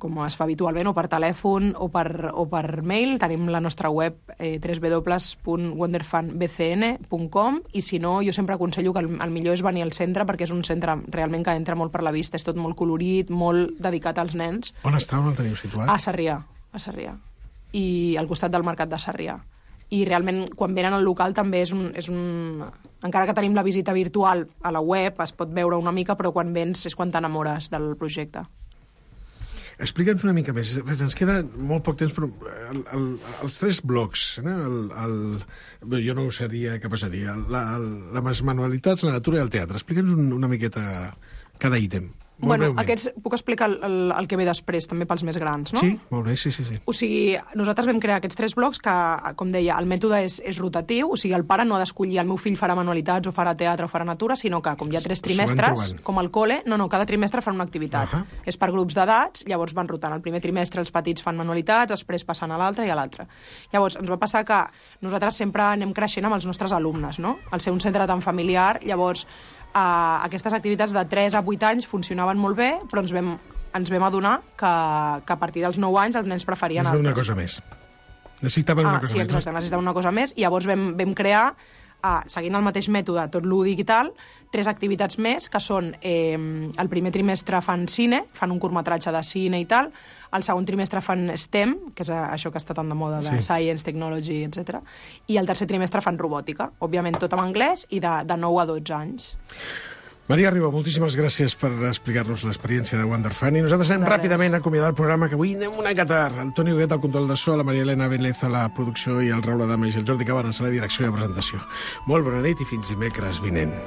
com es fa habitualment, o per telèfon o per, o per mail, tenim la nostra web eh, w w w punt wonderfun b c n punt com, i si no, jo sempre aconsello que el, el millor és venir al centre, perquè és un centre realment que entra molt per la vista, és tot molt colorit, molt dedicat als nens. On està, on el teniu situat? A Sarrià, a Sarrià. I al costat del mercat de Sarrià. I realment, quan venen al local, també és un, és un... Encara que tenim la visita virtual a la web, es pot veure una mica, però quan vens és quan t'enamores del projecte. Explica'ns una mica més. Ens queda molt poc temps, però el, el, els tres blocs, eh? el, el, bé, jo no ho seria capaç de dir, la, el, les manualitats, la natura i el teatre. Explica'ns un, una miqueta cada ítem. Molt bueno, breument. Aquests, puc explicar el, el, el que ve després, també pels més grans, no? Sí, molt bé, sí, sí, sí. O sigui, nosaltres vam crear aquests tres blocs que, com deia, el mètode és, és rotatiu, o sigui, el pare no ha d'escollir el meu fill farà manualitats o farà teatre o farà natura, sinó que, com hi ha tres trimestres, com al col·le, no, no, cada trimestre fan una activitat. Uh -huh. És per grups d'edats, llavors van rotant. El primer trimestre els petits fan manualitats, després passen a l'altre i a l'altre. Llavors, ens va passar que nosaltres sempre anem creixent amb els nostres alumnes, no? Al ser un centre tan familiar, llavors, Uh, aquestes activitats de tres a vuit anys funcionaven molt bé, però ens vam ens vam adonar que, que a partir dels nou anys els nens preferien... Necessitaven una cosa més. Necessitaven ah, una cosa sí, més. exacte, necessitaven una cosa més, i llavors vam, vam crear, uh, seguint el mateix mètode, tot lúdic i tal, tres activitats més, que són eh, el primer trimestre fan cine, fan un curtmetratge de cine i tal, el segon trimestre fan STEM, que és això que està tan de moda, de sí. Science, Technology, etcètera, i el tercer trimestre fan robòtica, òbviament tot en anglès, i de, de nou a dotze anys. Maria Ribó, moltíssimes gràcies per explicar-nos l'experiència de Wonder Fun, i nosaltres anem ràpidament a acomiadar el programa, que avui anem una catar. El Toni Huguet al control de so, la Maria Elena Vélez a la producció i el Raül Adames i el Jordi Cabanes a la direcció i la presentació. Molt bona nit i fins dimecres vinent.